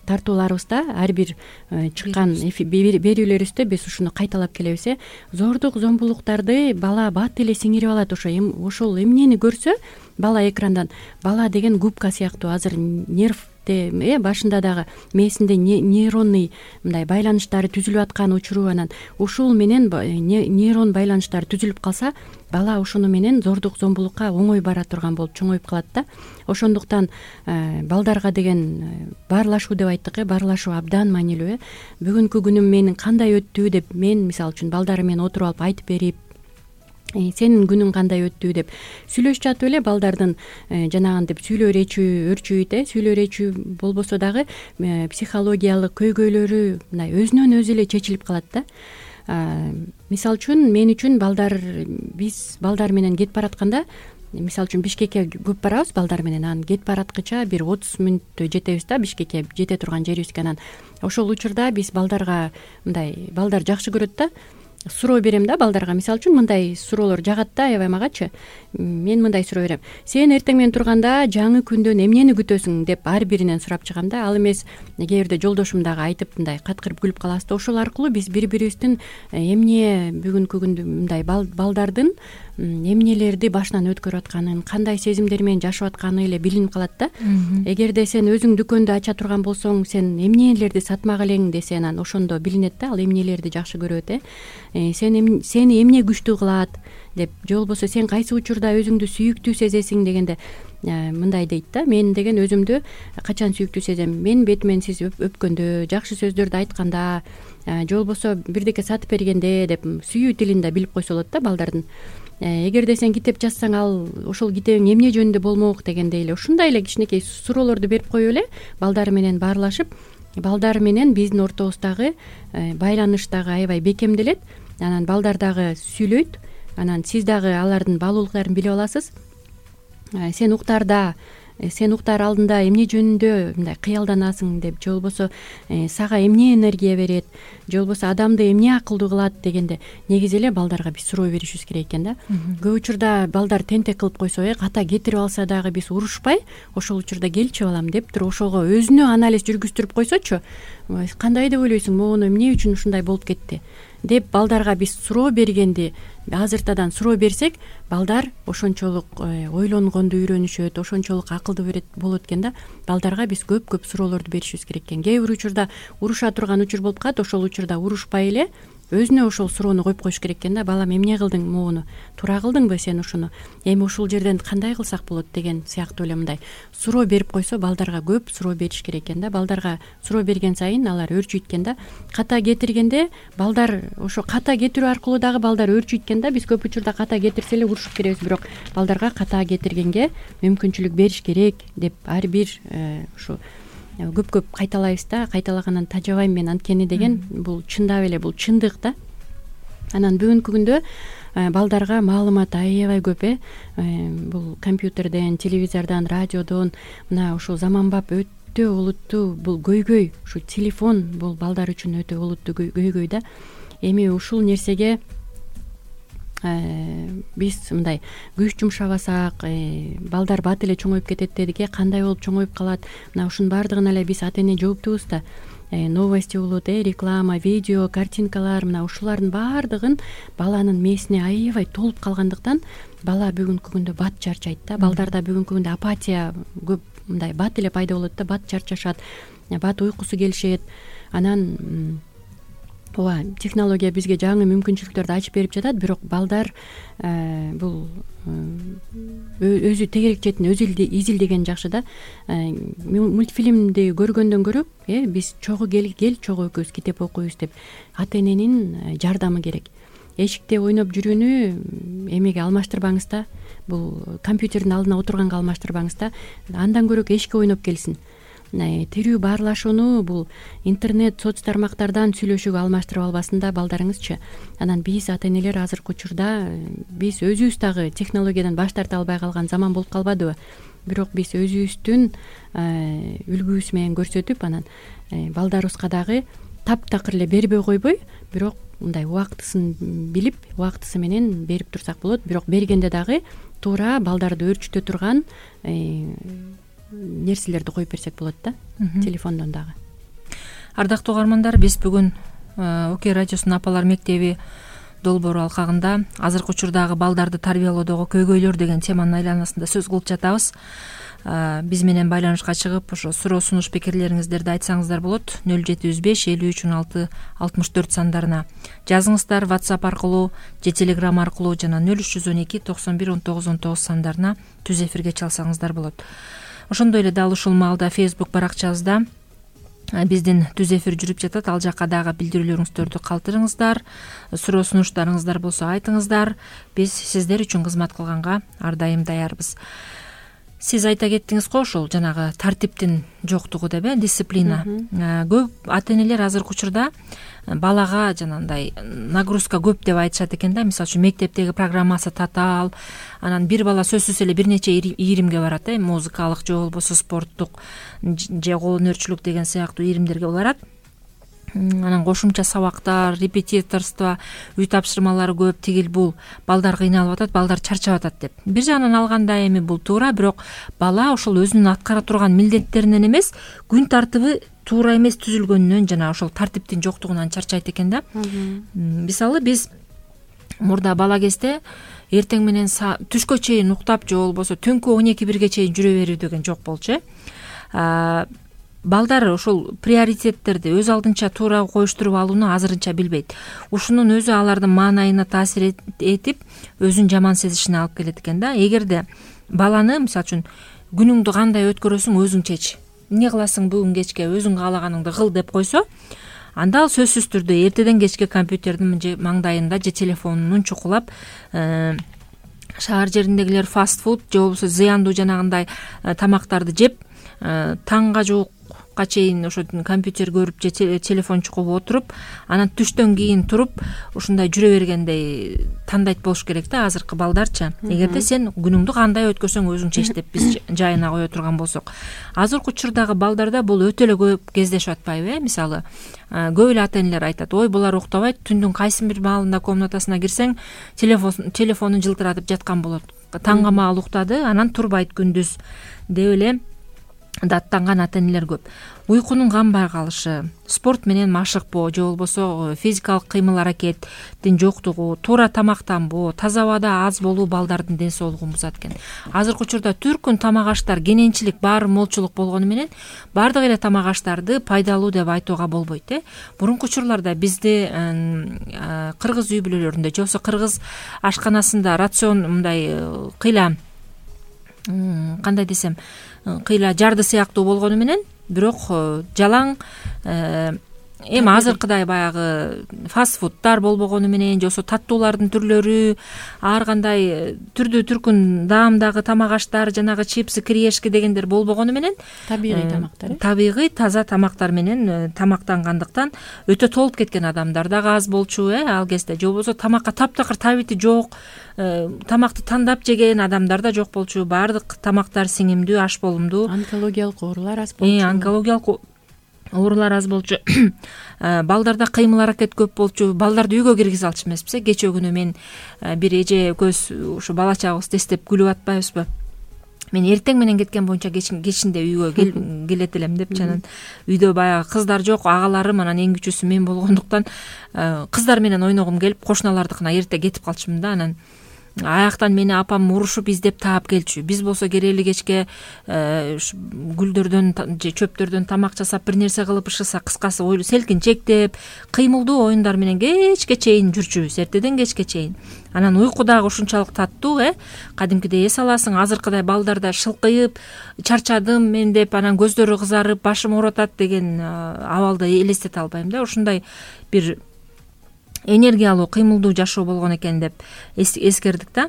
тартууларыбызда, ар бир чыккан берүүлөрүбүздө биз ушуну кайталап келебиз. Зордук зомбулуктарды бала бат эле сиңирип алат. Ошол эмнени көрсө бала экрандан, бала деген губка сыяктуу, азыр нерв башында дагы мээсинде нейронный мындай байланыштары түзүлүп аткан учуру, анан ушул менен нейрон байланыштары түзүлүп калса, бала ошону менен зордук зомбулукка оңой бара турган болуп чоңоюп калат да. Ошондуктан балдарга деген баарлашуу деп айттык, баарлашуу абдан маанилүү. Бүгүнкү күнүм менин кандай өттү деп мен мисалы үчүн балдарым менен отуруп алып айтып берип, сенин күнүң кандай өттү деп сүйлөшүп жатып эле балдардын жанагынтип сүйлөө өрчүйт, сүйлөө өрчүү болбосо дагы психологиялык көйгөйлөрү мындай өзүнөн өзү эле чечилип калат да. Мисалы үчүн мен үчүн биз балдар менен кетип баратканда, мисалы үчүн Бишкекке көп барабыз балдар менен, анан кетип бараткыча бир 30 мүнөттө жетебиз да Бишкекке, жете турган жерибизге. Анан ошол учурда биз балдарга мындай, балдар жакшы көрөт да, суроо берем да балдарга. Мисалы үчүн мындай суроолор жагат да, аябай магачы. Мен мындай суроо берем: сен эртең менен турганда жаңы күндөн эмнени күтөсүң деп ар биринен сурап чыгам да. Ал эмес кээ бирде жолдошум дагы айтып мындай каткырып күлүп калабыз да. Ошол аркылуу биз бири-бирибиздин эмне бүгүнкү күндө мындай балдардын эмнелерди башынан өткөрүп атканын, кандай сезимдер менен жашап атканы эле билинип калат да. Эгерде сен өзүң дүкөндү ача турган болсоң, сен эмнелерди сатмак элең десе, анан ошондо билинет да, ал эмнелерди жакшы көрөт. Сени эмне күчтүү кылат деп, же болбосо сен кайсы учурда өзүңдү сүйүктүү сезесиң дегенде мындай дейт да: мен деген өзүмдү качан сүйүктүү сезем? Мен бетимен сиз өпкөндө, жакшы сөздөрдү айтканда, же болбосо бирдеке сатып бергенде деп сүйүү тилин да билип койсо болот да балдардын. Эгерде сен китеп жазсаң, ал ошол китебиң эмне жөнүндө болмок дегендей эле ушундай эле кичинекей суроолорду берип коюп эле балдар менен баарлашып, балдар менен биздин ортобуздагы байланыш дагы аябай бекемделет. Анан балдар дагы сүйлөйт, анан сиз дагы алардын баалуулуктарын билип аласыз. Сен уктаар алдында эмне жөнүндө мындай кыялданасың деп, же болбосо сага эмне энергия берет, же болбосо адамды эмне акылдуу кылат дегенде негизи эле балдарга биз суроо беришибиз керек экен да. Көп учурда балдар тентек кылып койсо, ката кетирип алса дагы биз урушпай, ошол учурда келчи балам деп туруп ошого өзүнө анализ жүргүздүрүп койсочу, кандай деп ойлойсуң, могуну эмне үчүн ушундай болуп кетти деп балдарга биз суроо бергенди азыртадан суроо берсек, балдар ошончолук ойлонгонду үйрөнүшөт, ошончолук акылдуу болот экен да. Балдарга биз көп суроолорду беришибиз керек экен. Кээ бир учурда уруша турган учур болуп калат, ошол учурда урушпай эле өзүнө ошол суроону коюп коюш керек экен да. Балам, эмне кылдың могуну? Туура кылдыңбы сен ушуну? Эми ушул жерден кандай кылсак болот деген сыяктуу эле мындай суроо берип койсо, балдарга көп суроо бериш керек экен да. Балдарга суроо берген сайын алар өөрчүйт экен да. Ката кетиргенде балдар, ошо ката кетирүү аркылуу дагы балдар өөрчүйт экен да. Биз көп учурда ката кетирсе эле урушуп беребиз, бирок балдарга ката кетиргенге мүмкүнчүлүк бериш керек деп ар бир ушу көп кайталайбыз да. Кайталагандан тажабайм мен, анткени деген бул чындап эле бул чындык да. Анан бүгүнкү күндө балдарга маалымат аябай көп. Бул компьютерден, телевизордон, радиодон, мына ушул заманбап өтө олуттуу бул көйгөй, ушу телефон бул балдар үчүн өтө олуттуу көйгөй да. Эми ушул нерсеге биз мындай күч жумшабасак, балдар бат эле чоңоюп кетет дедик. Кандай болуп чоңоюп калат? Мына ушунун баардыгына эле биз ата эне жооптубуз да. Новости болот, реклама, видео, картинкалар, мына ушулардын баардыгын баланын мээсине аябай толуп калгандыктан бала бүгүнкү күндө бат чарчайт да. Балдарда бүгүнкү күндө апатия көп, мындай бат эле пайда болот да. Бат чарчашат, бат уйкусу келишет. Анан ооба, технология бизге жаңы мүмкүнчүлүктөрдү ачып берип жатат, бирок балдар бул өзү тегерек четин өзү изилдеген жакшы да. Мультфильмди көргөндөн көрө биз чогуу кел чогуу экөөбүз китеп окуйбуз деп ата эненин жардамы керек. Эшикте ойноп жүрүүнү эмеге алмаштырбаңыз да, бул компьютердин алдына отурганга алмаштырбаңыз да, андан көрө эшикке ойноп келсин. Тирүү баарлашууну бул интернет, соц тармактардан сүйлөшүүгө алмаштырып албасын да балдарыңызчы. Анан биз ата энелер азыркы учурда биз өзүбүз дагы технологиядан баш тарта албай калган заман болуп калбадыбы? Бирок биз өзүбүздүн үлгүбүз менен көрсөтүп, анан балдарыбызга дагы таптакыр эле бербей койбой, бирок мындай убактысын билип, убактысы менен берип турсак болот. Бирок бергенде дагы туура балдарды өөрчүтө турган нерселерди коюп берсек болот да, телефондон дагы. Ардактуу угармандар, биз бүгүн УК радиосунун Апалар мектеби долбоору алкагында азыркы учурдагы балдарды тарбиялоодогу көйгөйлөр деген теманын айланасында сөз кылып жатабыз. Биз менен байланышка чыгып, ошо суроо сунуш пикирлериңиздерди айтсаңыздар болот. 0755531664 сандарына жазыңыздар, WhatsApp аркылуу же Telegram аркылуу жана 0312911919 сандарына түз эфирге чалсаңыздар болот. Ошондой эле дал ушул маалда Facebook баракчабызда биздин түз эфир жүрүп жатат. Ал жакка дагы билдирүүлөрүңүздөрдү калтырыңыздар, суроо сунуштарыңыздар болсо айтыңыздар. Биз сиздер үчүн кызмат кылганга ар дайым даярбыз. Сиз айта кеттиңиз го, ошол жанагы тартиптин жоктугу деп, дисциплина. Көп ата энелер азыркы учурда балага жанагындай нагрузка көп деп айтышат экен да. Мисалы үчүн мектептеги программасы татаал, анан бир бала сөзсүз эле бир нече ийримге барат, музыкалык же болбосо спорттук же кол өнөрчүлүк деген сыяктуу ийримдерге барат. Анан кошумча сабактар, репетиторство, үй тапшырмалары көп, тигил бул, балдар кыйналып атат, балдар чарчап атат деп. Бир жагынан алганда эми бул туура, бирок бала ошол өзүнүн аткара турган милдеттеринен эмес, күн тартыбы туура эмес түзүлгөнүнөн жана ошол тартиптин жоктугунан чарчайт экен да. Мисалы биз мурда бала кезде эртең менен түшкө чейин уктап же болбосо түнкү 12-1ге чейин жүрө берүү деген жок болчу. Балдар ошол приоритеттерди өз алдынча туура коюштуруп алууну азырынча билбейт. Ушунун өзү алардын маанайына таасир этип, өзүн жаман сезишине алып келет экен да. Эгерде баланы, мисалы үчүн, күнүңдү кандай өткөрөсүң өзүң чеч, эмне кыласың бүгүн кечке, өзүң каалаганыңды кыл деп койсо, анда ал сөзсүз түрдө эртеден кечке компьютердин маңдайында же телефонун чукулап, шаар жериндегилер фастфуд же болбосо зыяндуу жанагындай тамактарды жеп, таңга жуукка чейин ошо компьютер көрүп же телефон чукуп отуруп, анан түштөн кийин туруп ушундай жүрө бергендей тандайт болуш керек да азыркы балдарчы. Эгерде сен күнүңдү кандай өткөрсөң өзүң чеч деп биз жайына кое турган болсок, азыркы учурдагы балдарда бул өтө эле көп кездешип атпайбы? Мисалы, көп эле ата энелер айтат, ой булар уктабайт, түндүн кайсы бир маалында комнатасына кирсең телефонун жылтыратып жаткан болот. Таңга маал уктады, анан турбайт күндүз деп эле даттанган ата энелер көп. Уйкунун канбай калышы, спорт менен машыкпоо же болбосо физикалык кыймыл аракеттин жоктугу, туура тамактанбоо, таза абада аз болуу балдардын ден соолугун бузат экен. Азыркы учурда түркүн тамак аштар кененчилик баары молчулук болгону менен баардык эле тамак аштарды пайдалуу деп айтууга болбойт. Мурунку учурларда бизде кыргыз үй бүлөлөрүндө же болбосо кыргыз ашканасында рацион мындай кыйла, кандай десем, кыйла жарды сыяктуу болгону менен, бирок жалаң эми азыркыдай баягы фастфудтар болбогону менен же болбосо таттуулардын түрлөрү, ар кандай түрдүү түркүн даамдагы тамак аштар, жанагы чипсы, кириешки дегендер болбогону менен табигый тамактар, табигый таза тамактар менен тамактангандыктан өтө толуп кеткен адамдар дагы аз болчу ал кезде. Же болбосо тамакка таптакыр табити жок, тамакты тандап жеген адамдар да жок болчу. Баардык тамактар сиңимдүү, аш болумдуу. Онкологиялык оорулар аз болчу. Онкологиялык оорулар аз болчу. Балдарда кыймыл аракет көп болчу. Балдарды үйгө киргизе алчу эмеспиз. Кечээ күнү мен бир эже экөөбүз ушу бала чагыбызды эстеп күлүп атпайбызбы? Мен эртең менен кеткен боюнча кечинде үйгө келет элем деп, анан үйдө баягы кыздар жок, агаларым, анан эң кичүүсү мен болгондуктан кыздар менен ойногум келип, кошуналардыкына эрте кетип калчумун да. Анан аяктан мени апам урушуп издеп таап келчү. Биз болсо керели кечке гүлдөрдөн же чөптөрдөн тамак жасап бир нерсе кылып ышыса, кыскасы селкинчектеп кыймылдуу оюндар менен кечке чейин жүрчүбүз, эртеден кечке чейин. Анан уйку дагы ушунчалык таттуу, кадимкидей эс аласың, азыркыдай балдарда шылкыйып, чарчадым мен деп, анан көздөрү кызарып, башым ооротат деген абалды элестете албайм да. Ушундай бир энергиялуу, кыймылдуу жашоо болгон экен деп эскердик да.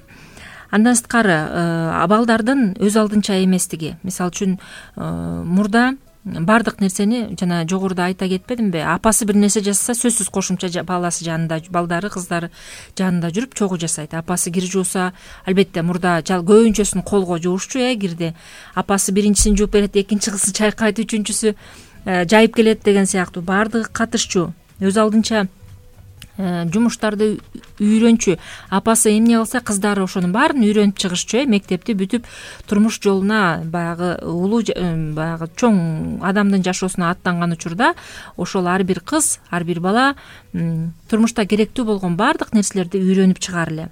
Андан сырткары балдардын өз алдынча эместиги. Мисалы үчүн мурда баардык нерсени жана жогоруда айта кетпедимби, апасы бир нерсе жасаса сөзсүз кошумча баласы жанында, балдары, кыздары жанында жүрүп чогуу жасайт. Апасы кир жууса, албетте мурда көбүнчөсүн колго жуушчу, кирди. Апасы биринчисин жууп берет, экинчи кызы чайкайт, үчүнчүсү жайып келет деген сыяктуу баардыгы катышчу, өз алдынча жумуштарды үйрөнчү. Апасы эмне кылса, кыздары ошонун баарын үйрөнүп чыгышчу. Мектепти бүтүп турмуш жолуна, баягы улуу, баягы чоң адамдын жашоосуна аттанган учурда ошол ар бир кыз, ар бир бала турмушта керектүү болгон баардык нерселерди үйрөнүп чыгаар эле.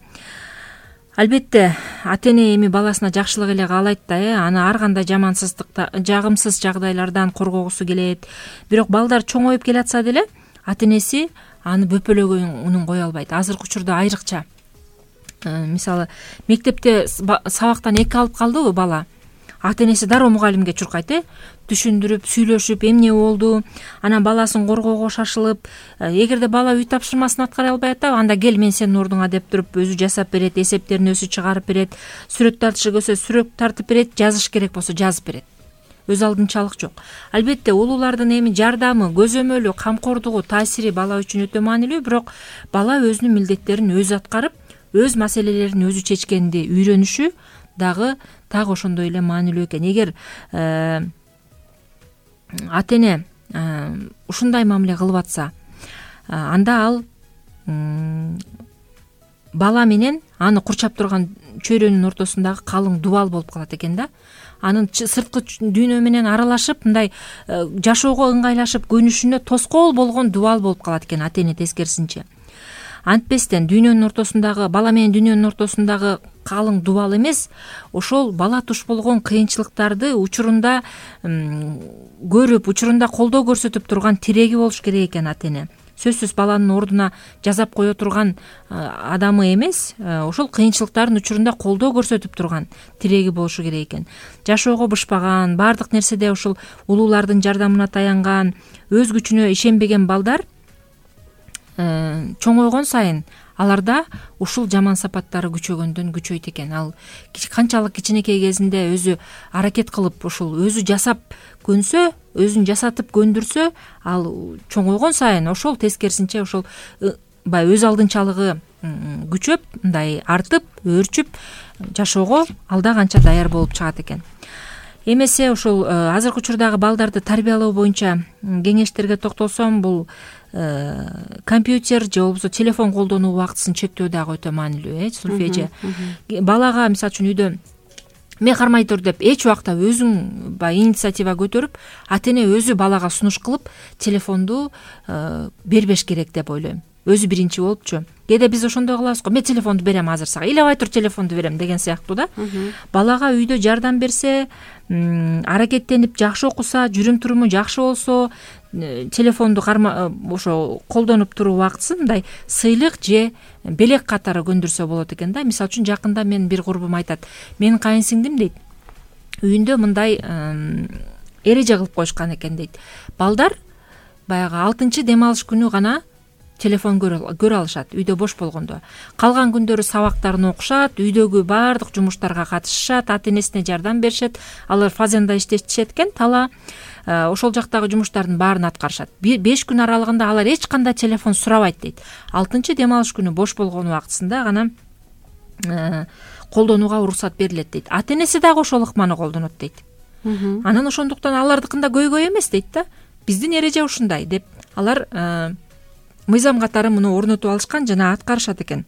Албетте ата эне эми баласына жакшылык эле каалайт да, аны ар кандай жагымсыз жагдайлардан коргогусу келет. Бирок балдар чоңоюп келатса деле ата энеси аны бөпөлөгөнүн кое албайт. Азыркы учурда айрыкча. Мисалы, мектепте сабактан 2 алып калдыбы бала, ата энеси дароо мугалимге чуркайт, түшүндүрүп, сүйлөшүп, эмне болду, анан баласын коргоого шашылып, эгерде бала үй тапшырмасын аткара албай атпайбы, анда кел мен сенин ордуңа деп туруп өзү жасап берет, эсептерин өзү чыгарып берет, сүрөт тартышы келсе сүрөт тартып берет, жазыш керек болсо жазып берет. Өз алдынчалык жок. Албетте улуулардын эми жардамы, көзөмөлү, камкордугу, таасири бала үчүн өтө маанилүү, бирок бала өзүнүн милдеттерин өзү аткарып, өз маселелерин өзү чечкенди үйрөнүшү дагы ошондой эле маанилүү экен. Эгер ата эне ушундай мамиле кылып атса, анда ал бала менен аны курчап турган чөйрөнүн ортосундагы калың дубал болуп калат экен да. Анын сырткы дүйнө менен аралашып, мындай жашоого ыңгайлашып көнүшүнө тоскоол болгон дубал болуп калат экен ата эне тескерисинче. Антпестен дүйнөнүн ортосундагы, бала менен дүйнөнүн ортосундагы калың дубал эмес, ошол бала туш болгон кыйынчылыктарды учурунда көрүп, учурунда колдоо көрсөтүп турган тиреги болуш керек экен ата эне. Сөзсүз баланын ордуна жазап кое турган адамы эмес, ошол кыйынчылыктардын учурунда колдоо көрсөтүп турган тиреги болушу керек экен. Жашоого бышпаган, баардык нерседе ошол улуулардын жардамына таянган, өз күчүнө ишенбеген балдар чоңойгон сайын аларда ушул жаман сапаттары күчөгөндөн күчөйт экен. Ал канчалык кичинекей кезинде өзү аракет кылып, ушул өзү жасап көнсө, өзүн жасатып көндүрсө, ал чоңойгон сайын ошол тескерисинче ошол өз алдынчалыгы күчөп, мындай артып, өөрчүп жашоого алда канча даяр болуп чыгат экен. Эмесе ошол азыркы учурдагы балдарды тарбиялоо боюнча кеңештерге токтолсом, бул компьютер же болбосо телефон колдонуу убактысын чектөө дагы өтө маанилүү, Зульфия. Балага мисалы үчүн үйдө мен кармай тур деп эч убакта өзүң инициатива көтөрүп, ата эне өзү балага сунуш кылып телефонду бербеш керек деп ойлойм. Өзү биринчи болупчу. Кээде биз ошондой кылабыз го, мен телефонду берем азыр сага, ыйлабай тур телефонду берем деген сыяктуу да. Балага үйдө жардам берсе, аракеттенип жакшы окуса, жүрүм туруму жакшы болсо, телефонду ошо колдонуп туруу убактысын мындай сыйлык же белек катары көндүрсө болот экен да. Мисалы үчүн жакында мен бир курбум айтат, менин кайынсиңдим дейт, үйүндө мындай эреже кылып коюшкан экен дейт. Балдар баягы 6-чы дем алыш күнү гана телефон көрө алышат, үйдө бош болгондо. Калган күндөрү сабактарын окушат, үйдөгү баардык жумуштарга катышышат, ата энесине жардам беришет. Алар фазенда иштешет экен, тала ошол жактагы жумуштардын баарын аткарышат. 5 күн аралыгында алар эч кандай телефон сурабайт дейт. 6-чы дем алыш күнү бош болгон убактысында гана колдонууга уруксат берилет дейт. Ата энеси дагы ошол ыкманы колдонот дейт. Анан ошондуктан алардыкында көйгөй эмес дейт да. Биздин эреже ушундай деп алар мыйзам катары муну орнотуп алышкан жана аткарышат экен.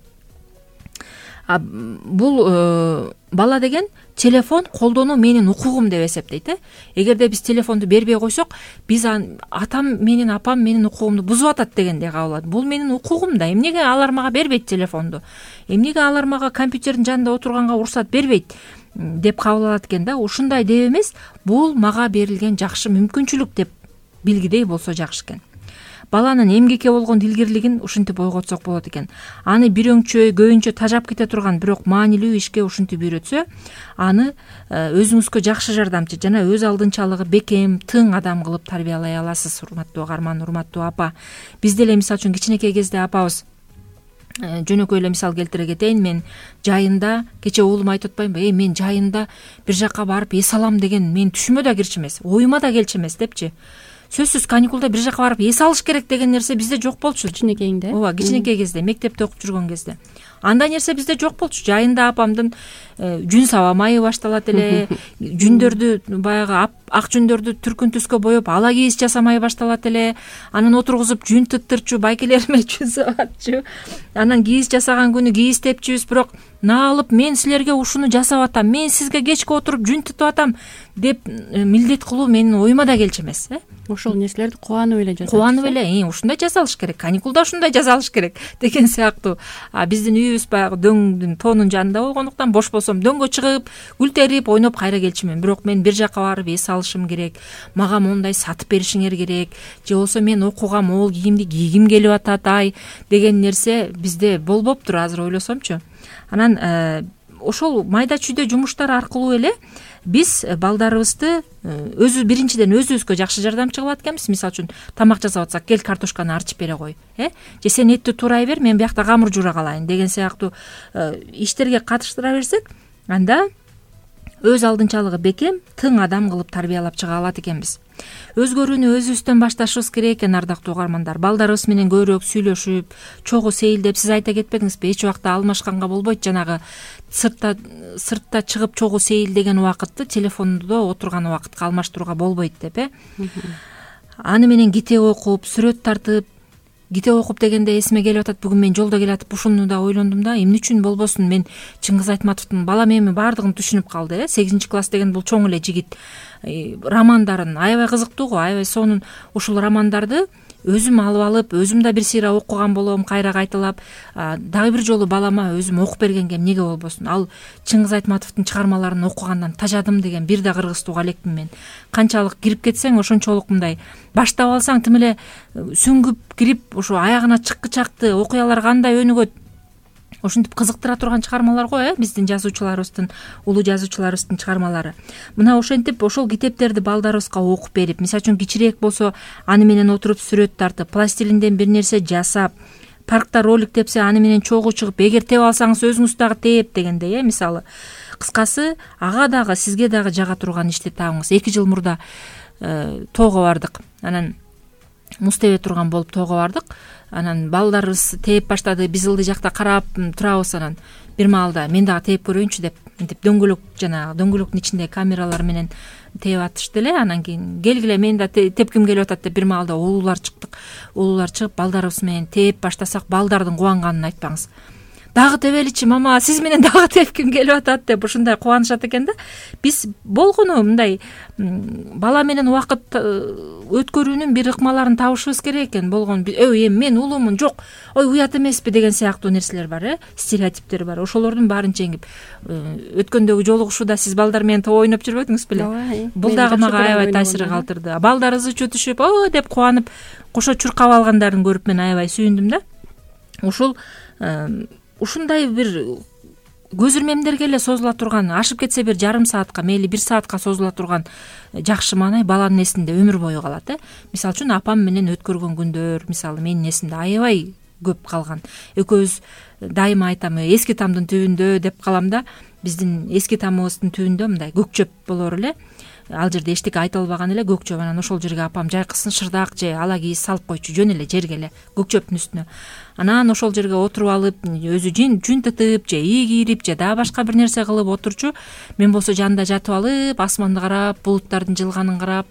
бул бала деген телефон колдонуу менин укугум деп эсептейт. Эгерде биз телефонду бербей койсок, биз атам менен апам менин укугумду бузуп атат дегендей кабыл алат. Бул менин укугум да. Эмнеге алар мага бербейт телефонду? Эмнеге алар мага компьютердин жанында отурганга уруксат бербейт деп кабыл алат экен да. Ушундай деп эмес, бул мага берилген жакшы мүмкүнчүлүк деп билгидей болсо жакшы экен. Баланын эмгекке болгон илгирлигин ушинтип ойготсок болот экен. Аны бир өңчө, көбүнчө тажап кете турган, бирок маанилүү ишке ушинтип үйрөтсө, аны өзүңүзгө жакшы жардамчы жана өз алдынчалыгы бекем, тың адам кылып тарбиялай аласыз, урматтуу угарман, урматтуу апа. Биз деле мисалы үчүн кичинекей кезде апабыз жөнөкөй эле мисал келтире кетейин. Мен жайында кече уулум айтып атпаймынбы? Мен жайында бир жакка барып эс алам деген менин түшүмө да кирчү эмес, оюма да келчү эмес депчи. Сөзсүз каникулда бир жака барып эс алыш керек деген нерсе бизде жок болчу. Кичинекейиңде? Ооба, кичинекей кезде, мектепте окуп жүргөн кезде. Андай нерсе бизде жок болчу. Жайында апамдын жүн саба майы башталат эле, жүндөрдү баягы ак жүндөрдү түркүн түскө боеп ала кийиз жасамай башталат эле. Анан отургузуп жүн тыттырчу, байкелериме жүн сабатчу. Анан кийиз жасаган күнү кийиз тепчүбүз, бирок наалып мен силерге ушуну жасап атам, мен сизге кечке отуруп жүн тытып атам деп милдет кылуу менин оюма да келчү эмес. Ошол нерселерди кубанып эле жасап. Кубанып эле, ушундай жасалыш керек, каникулда ушундай жасалыш керек деген сыяктуу. Биздин үйүбүз баягы дөңдүн тоонун жанында болгондуктан бош болсом дөңгө чыгып, гүл терип, ойноп кайра келчүмүн. Бирок мен бир жака барып эс алышым керек, мага мондай сатып беришиңер керек, же болсо мен окууга могул кийимди кийгим келип атат деген нерсе бизде болбоптур азыр ойлосомчу. Анан ошол майда чүйдө жумуштар аркылуу эле биз балдарыбызды биринчиден өзүбүзгө жакшы жардамчы кылат экенбиз. Мисалы үчүн тамак жасап атсак, кел картошканы арчып бере кой, же сен этти туурай бер, мен биякта камыр жуура калайын деген сыяктуу иштерге катыштыра берсек, анда өз алдынчалыгы бекем, тың адам кылып тарбиялап чыга алат экенбиз. Өзгөрүүнү өзүбүздөн башташыбыз керек экен, ардактуу угармандар. Балдарыбыз менен көбүрөөк сүйлөшүп, чогуу сейилдеп, сиз айта кетпедиңизби, эч убакта алмашканга болбойт. Жанагы сыртта чыгып чогуу сейилдеген убакытты телефондо отурган убакытка алмаштырууга болбойт деп. Аны менен китеп окуп, сүрөт тартып, китеп окуп дегенде эсиме келип атат, бүгүн мен жолдо келатып ушуну да ойлондум да, эмне үчүн болбосун, мен Чыңгыз Айтматовдун Балам эми баардыгын түшүнүп калды. 8 класс деген бул чоң эле жигит. Романдарын аябай кызыктуу го, аябай сонун ушул романдарды өзүм алып алып, өзүм да бир сыйра окуган болом, кайра кайталап, дагы бир жолу балама өзүм окуп бергенге эмнеге болбосун. Ал Чыңгыз Айтматовдун чыгармаларын окугандан тажадым деген бир да кыргызтууга элекмин мен. Канчалык кирип кетсең, ошончолук мындай баштап алсаң, тим эле сүңгүп кирип, ошо аягына чыккычакты окуялар кандай өнүгөт, ошентип кызыктыра турган чыгармалар го, биздин жазуучуларыбыздын, улуу жазуучуларыбыздын чыгармалары. Мына ошентип ошол китептерди балдарыбызга окуп берип, мисалы үчүн кичирээк болсо аны менен отуруп сүрөт тартып, пластилинден бир нерсе жасап, паркта ролик тепсе аны менен чогуу чыгып, эгер теп алсаңыз өзүңүз дагы теп дегендей, мисалы. Кыскасы, ага дагы сизге дагы жага турган ишти табыңыз. 2 жыл мурда тоого бардык. Анан муз тебе турган болуп тоого бардык. Анан балдарыбыз тээп баштады, биз ылдый жакта карап турабыз. Анан бир маалда мен дагы тээп көрөйүнчү деп, мынтип дөңгөлөктүн ичинде камералар менен тээп атышты эле. Анан кийин келгиле, мен да тепким келип атат деп бир маалда улуулар чыктык. Улуулар чыгып балдарыбыз менен тээп баштасак, балдардын кубанганын айтпаңыз. Дагы тебеличи мама, сиз менен дагы тепким келип атат деп ушундай кубанышат экен да. Биз болгону мындай бала менен убакыт өткөрүүнүн бир ыкмаларын табышыбыз керек экен. Болгон эми мен улуумун, жок, ой уят эмеспи деген сыяктуу нерселер бар, стереотиптер бар. Ошолордун баарын жеңип, өткөндөгү жолугушууда сиз балдар менен топ ойноп жүрбөдүңүз беле? Бул дагы мага аябай таасир калтырды. Балдарыбыз чөтүшүп, деп кубанып, кошо чуркап алгандарын көрүп мен аябай сүйүндүм да. Ушундай бир көз ирмемдерге эле созула турган, ашып кетсе бир жарым саатка, мейли 1 саатка созула турган жакшы маанай баланын эсинде өмүр бою калат. Мисалы үчүн апам менен өткөргөн күндөр, мисалы менин эсимде аябай көп калган. Экөөбүз дайыма айтам, эски тамдын түбүндө деп калам да. Биздин эски тамыбыздын түбүндө мындай көк чөп болор эле. Ал жерде эчтеке айта албаган эле көк чөп. Анан ошол жерге апам жайкысын шырдак же ала кийиз салып койчу, жөн эле жерге эле, көк чөптүн үстүнө. Анан ошол жерге отуруп алып, өзү жүн тытып же ий кийирип же дагы башка бир нерсе кылып отурчу. Мен болсо жанында жатып алып, асманды карап, булуттардын жылганын карап,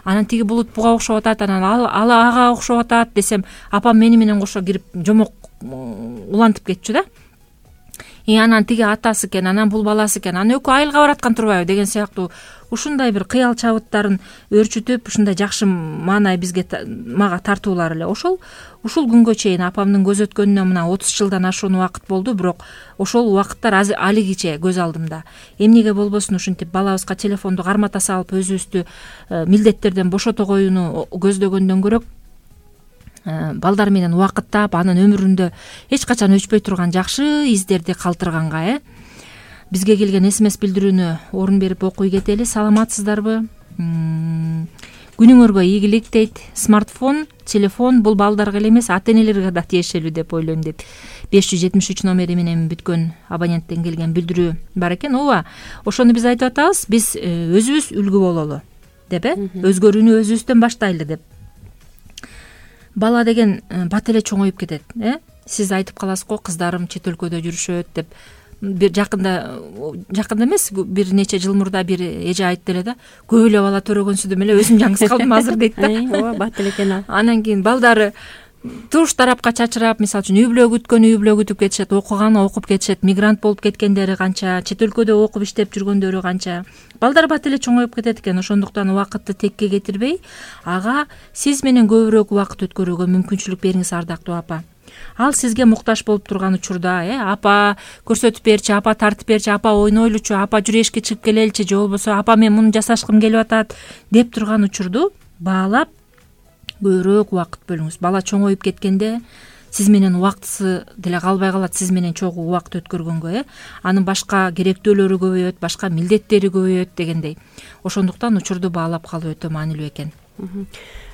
анан тиги булут буга окшоп атат, анан ал ага окшоп атат десем, апам мени менен кошо кирип жомок улантып кетчү да. анан тиги атасы экен, анан бул баласы экен, анан экөө айылга бараткан турбайбы деген сыяктуу ушундай бир кыял чабыттарын өрчүтүп, ушундай жакшы маанай мага тартуулар эле. Ушул күнгө чейин апамдын көз өткөнүнө мына 30 жылдан ашуун убакыт болду, бирок ошол убакыттар алигиче көз алдымда. Эмнеге болбосун ушинтип балабызга телефонду кармата салып өзүбүздү милдеттерден бошото коюуну көздөгөндөн көрөк, балдар менен убакыттап, анын өмүрүндө эч качан өчпөй турган жакшы издерди калтырганга бизге келген СМС билдирүүнү орун берип окуй кетели. Саламатсыздарбы? Күнүңөргө ийгилик дейт. Смартфон, телефон бул балдарга эле эмес, ата-энелерге да тиешелүү деп ойлойм дейт. 573 номери менен бүткөн абоненттен келген билдирүү бар экен. Ооба, ошону биз айтып атабыз. Биз өзүбүз үлгү бололу деп, өзгөрүүнү өзүбүздөн баштайлы деп. Бала деген бат эле чоңоюп кетет. Сиз айтып каласыз го, кыздарым чет өлкөдө жүрүшөт деп. Бир жакында эмес, бир нече жыл мурда бир эже айтты эле да, көп эле бала төрөгөнсүдүм эле, өзүм жаңгыз калдым азыр дейт да. Ооба, бат эле экен ал. Анан кийин балдары туш тарапка чачырап, мисалы үчүн үй бүлө күтүп кетишет, окуганы окуп кетишет, мигрант болуп кеткендери канча, чет өлкөдө окуп иштеп жүргөндөрү канча. Балдар бат эле чоңоюп кетет экен. Ошондуктан убакытты текке кетирбей, ага сиз менен көбүрөөк убакыт өткөрүүгө мүмкүнчүлүк бериңиз, ардактуу апа. Ал сизге муктаж болуп турган учурда, апа көрсөтүп берчи, апа тартып берчи, апа ойнойлучу, апа жүрү эшикке чыгып келеличи, же болбосо апа мен муну жасашкым келип атат деп турган учурду баалап көбүрөөк убакыт бөлүңүз. Бала чоңоюп кеткенде сиз менен убактысы деле калбай калат, сиз менен чогуу убакыт өткөргөнгө, анын башка керектөөлөрү көбөйөт, башка милдеттери көбөйөт дегендей. Ошондуктан учурду баалап калуу өтө маанилүү экен.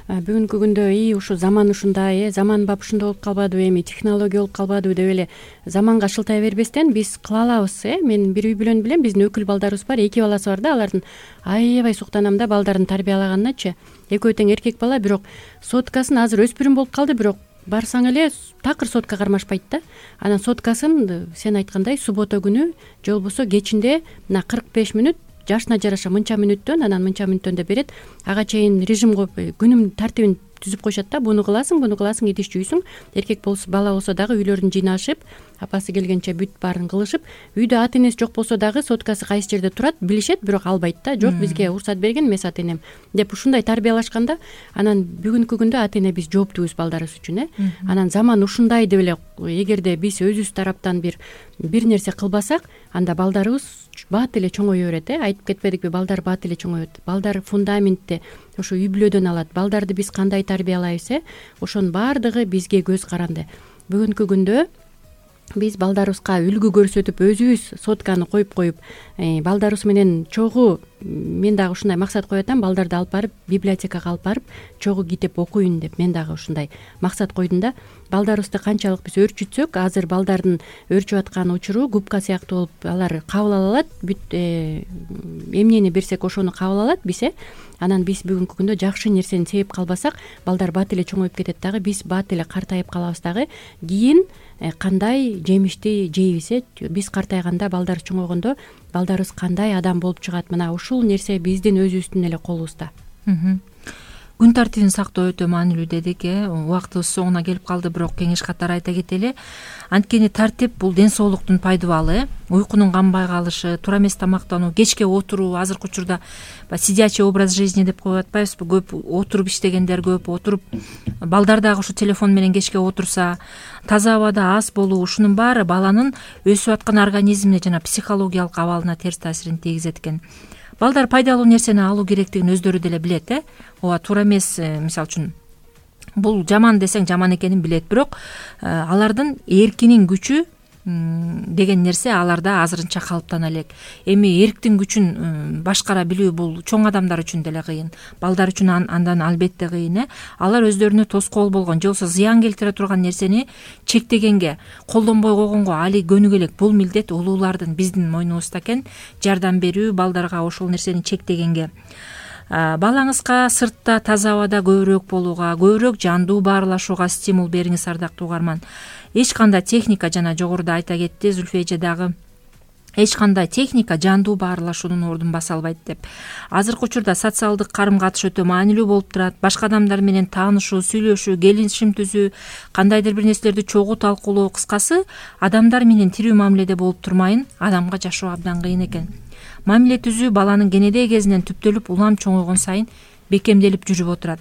Бүгүнкү күндө ушу заман ушундай, заманбап ушундай болуп калбадыбы, эми технология болуп калбадыбы деп эле заманга шылтай бербестен биз кыла алабыз. Мен бир үй бүлөнү билем, биздин өкүл балдарыбыз бар, 2 баласы бар да, алардын аябай суктанам да балдарын тарбиялаганначы. Экөө тең эркек бала, бирок соткасын азыр өспүрүм болуп калды, бирок барсаң эле такыр сотка кармашпайт да. Анан соткасын сен айткандай суббота күнү же болбосо кечинде мына 45 мүнөт жашына жараша мынча мүнөттөн, анан мынча мүнөттөн деп берет. Ага чейин режим коюп, күнүм тартибин түзүп коюшат да. Буну кыласың, идиш жуйсуң. Эркек болсо, бала болсо дагы үйлөрүн жыйнашып, апасы келгенче бүт баарын кылышып, үйдө ата энеси жок болсо дагы соткасы кайсы жерде турат билишет, бирок албайт да. Жок, бизге уруксат берген эмес ата энем деп ушундай тарбиялашканда, анан бүгүнкү күндө ата эне биз жооптубуз балдарыбыз үчүн. Анан заман ушундай деп эле, эгерде биз өзүбүз тараптан бир нерсе кылбасак, анда балдарыбыз бат эле чоңое берет. Айтып кетпедикпи, балдар бат эле чоңоет. Балдар фундаментти ошо үй бүлөдөн алат. Балдарды биз кандай тарбиялайбыз, ошонун баардыгы бизге көз каранды. Бүгүнкү күндө биз балдарыбызга үлгү көрсөтүп, өзүбүз сотканы коюп, балдарыбыз менен чогуу, мен дагы ушундай максат коюп атам, балдарды алып барып библиотекага алып барып чогуу китеп окуйн деп мен дагы ушундай максат койдум да. Балдарыбызды канчалык биз өрчүтсөк, азыр балдардын өрчүп аткан учуру губка сыяктуу болуп, алар кабыл ала алат, бүт эмнени берсек ошону кабыл алат биз. Анан биз бүгүнкү күндө жакшы нерсени себеп калбасак, балдар бат эле чоңоюп кетет дагы, биз бат эле картайып калабыз дагы. Кийин кандай жемишти жейбиз, биз картайганда, балдар чоңойгондо балдарыбыз кандай адам болуп чыгат, мына ушул нерсе биздин өзүбүздүн эле колубузда. Күн тартибин сактоо өтө маанилүү дедик. Убактыбыз соңуна келип калды, бирок кеңеш катары айта кетели. Анткени тартип бул ден соолуктун пайдубалы. Уйкунун канбай калышы, туура эмес тамактануу, кечке отуруу, азыркы учурда сидячий образ жизни деп коюп атпайбызбы? Көп отуруп иштегендер көп, отуруп балдар дагы ушу телефон менен кечке отурса, таза абада аз болуу, ушунун баары баланын өсүп аткан организмине жана психологиялык абалына терс таасирин тийгизет экен. Балдар пайдалуу нерсени алуу керектигин өздөрү деле билет. Ооба, туура эмес, мисалы үчүн бул жаман десең жаман экенин билет, бирок алардын эркинин күчү деген нерсе аларда азырынча калыптана элек. Эми эрктин күчүн башкара билүү бул чоң адамдар үчүн деле кыйын, балдар үчүн андан албетте кыйын. Алар өздөрүнө тоскоол болгон же болбосо зыян келтире турган нерсени чектегенге, колдонбой койгонго али көнүгө элек. Бул милдет улуулардын, биздин мойнубузда экен, жардам берүү балдарга ошол нерсени чектегенге. Балаңызга сыртта таза абада көбүрөөк болууга, көбүрөөк жандуу баарлашууга стимул бериңиз, ардактуу угарман. Эч кандай техника, жана жогоруда айта кетти Зүлфи эже дагы, эч кандай техника жандуу баарлашуунун ордун баса албайт деп. Азыркы учурда социалдык карым катыш өтө маанилүү болуп турат. Башка адамдар менен таанышуу, сүйлөшүү, келишим түзүү, кандайдыр бир нерселерди чогуу талкуулоо, кыскасы адамдар менен тирүү мамиледе болуп турмайын адамга жашоо абдан кыйын экен. Мамиле түзүү баланын кенедей кезинен түптөлүп улам чоңойгон сайын бекемделип жүрүп отурат.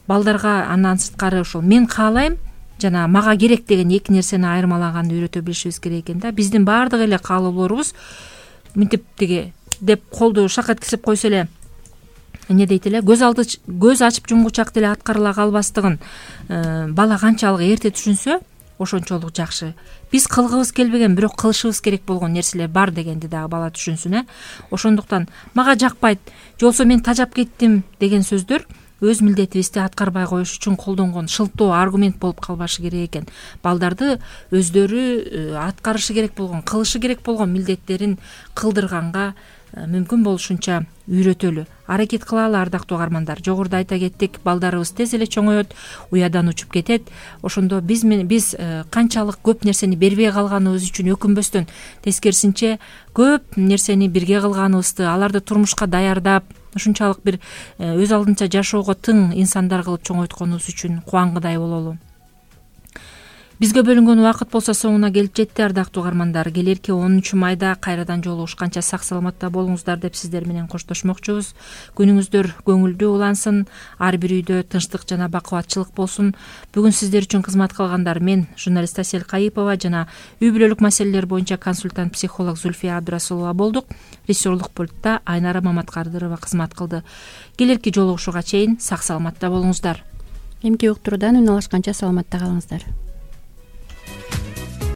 Балдарга андан сырткары ушул мен каалайм жана мага керек деген эки нерсени айырмалаганды үйрөтө билишибиз керек экен да. Биздин баардык эле каалоолорубуз мынтип тиги деп колду шакат кесип койсо эле эмне дейт эле, көз ачып жумгучак деле аткарыла калбастыгын бала канчалык эрте түшүнсө ошончолук жакшы. Биз кылгыбыз келбеген, бирок кылышыбыз керек болгон нерселер бар дегенди дагы бала түшүнсүн. Ошондуктан мага жакпайт, же болбосо мен тажап кеттим деген сөздөр өз милдетибизди аткарбай коюш үчүн колдонгон шылтоо аргумент болуп калбашы керек экен. Балдарды өздөрү аткарышы керек болгон, кылышы керек болгон милдеттерин кылдырганга мүмкүн болушунча үйрөтөлү аракет кылалы. Ардактуу угармандар, жогоруда айта кеттик, балдарыбыз тез эле чоңоет, уядан учуп кетет. Ошондо биз канчалык көп нерсени бербей калганыбыз үчүн өкүнбөстөн, тескерисинче көп нерсени бирге кылганыбызды, аларды турмушка даярдап, ушунчалык бир өз алдынча жашоого тың инсандар кылып чоңойтконубуз үчүн кубангыдай бололу. Бизге бөлүнгөн убакыт болсо соңуна келип жетти. Ардактуу угармандар, келерки 10 майда кайрадан жолугушканча сак саламатта болуңуздар деп сиздер менен коштошмокчубуз. Күнүңүздөр көңүлдүү улансын, ар бир үйдө тынчтык жана бакубатчылык болсун. Бүгүн сиздер үчүн кызмат кылгандар мен, журналист Асель Кайыпова жана үй бүлөлүк маселелер боюнча консультант психолог Зульфия Абдрасулова болдук. Режиссерлук пультта Айнара Маматкадырова кызмат кылды. Келерки жолугушууга чейин сак саламатта болуңуздар. Эмки уктуруудан үн алышканча саламатта калыңыздар.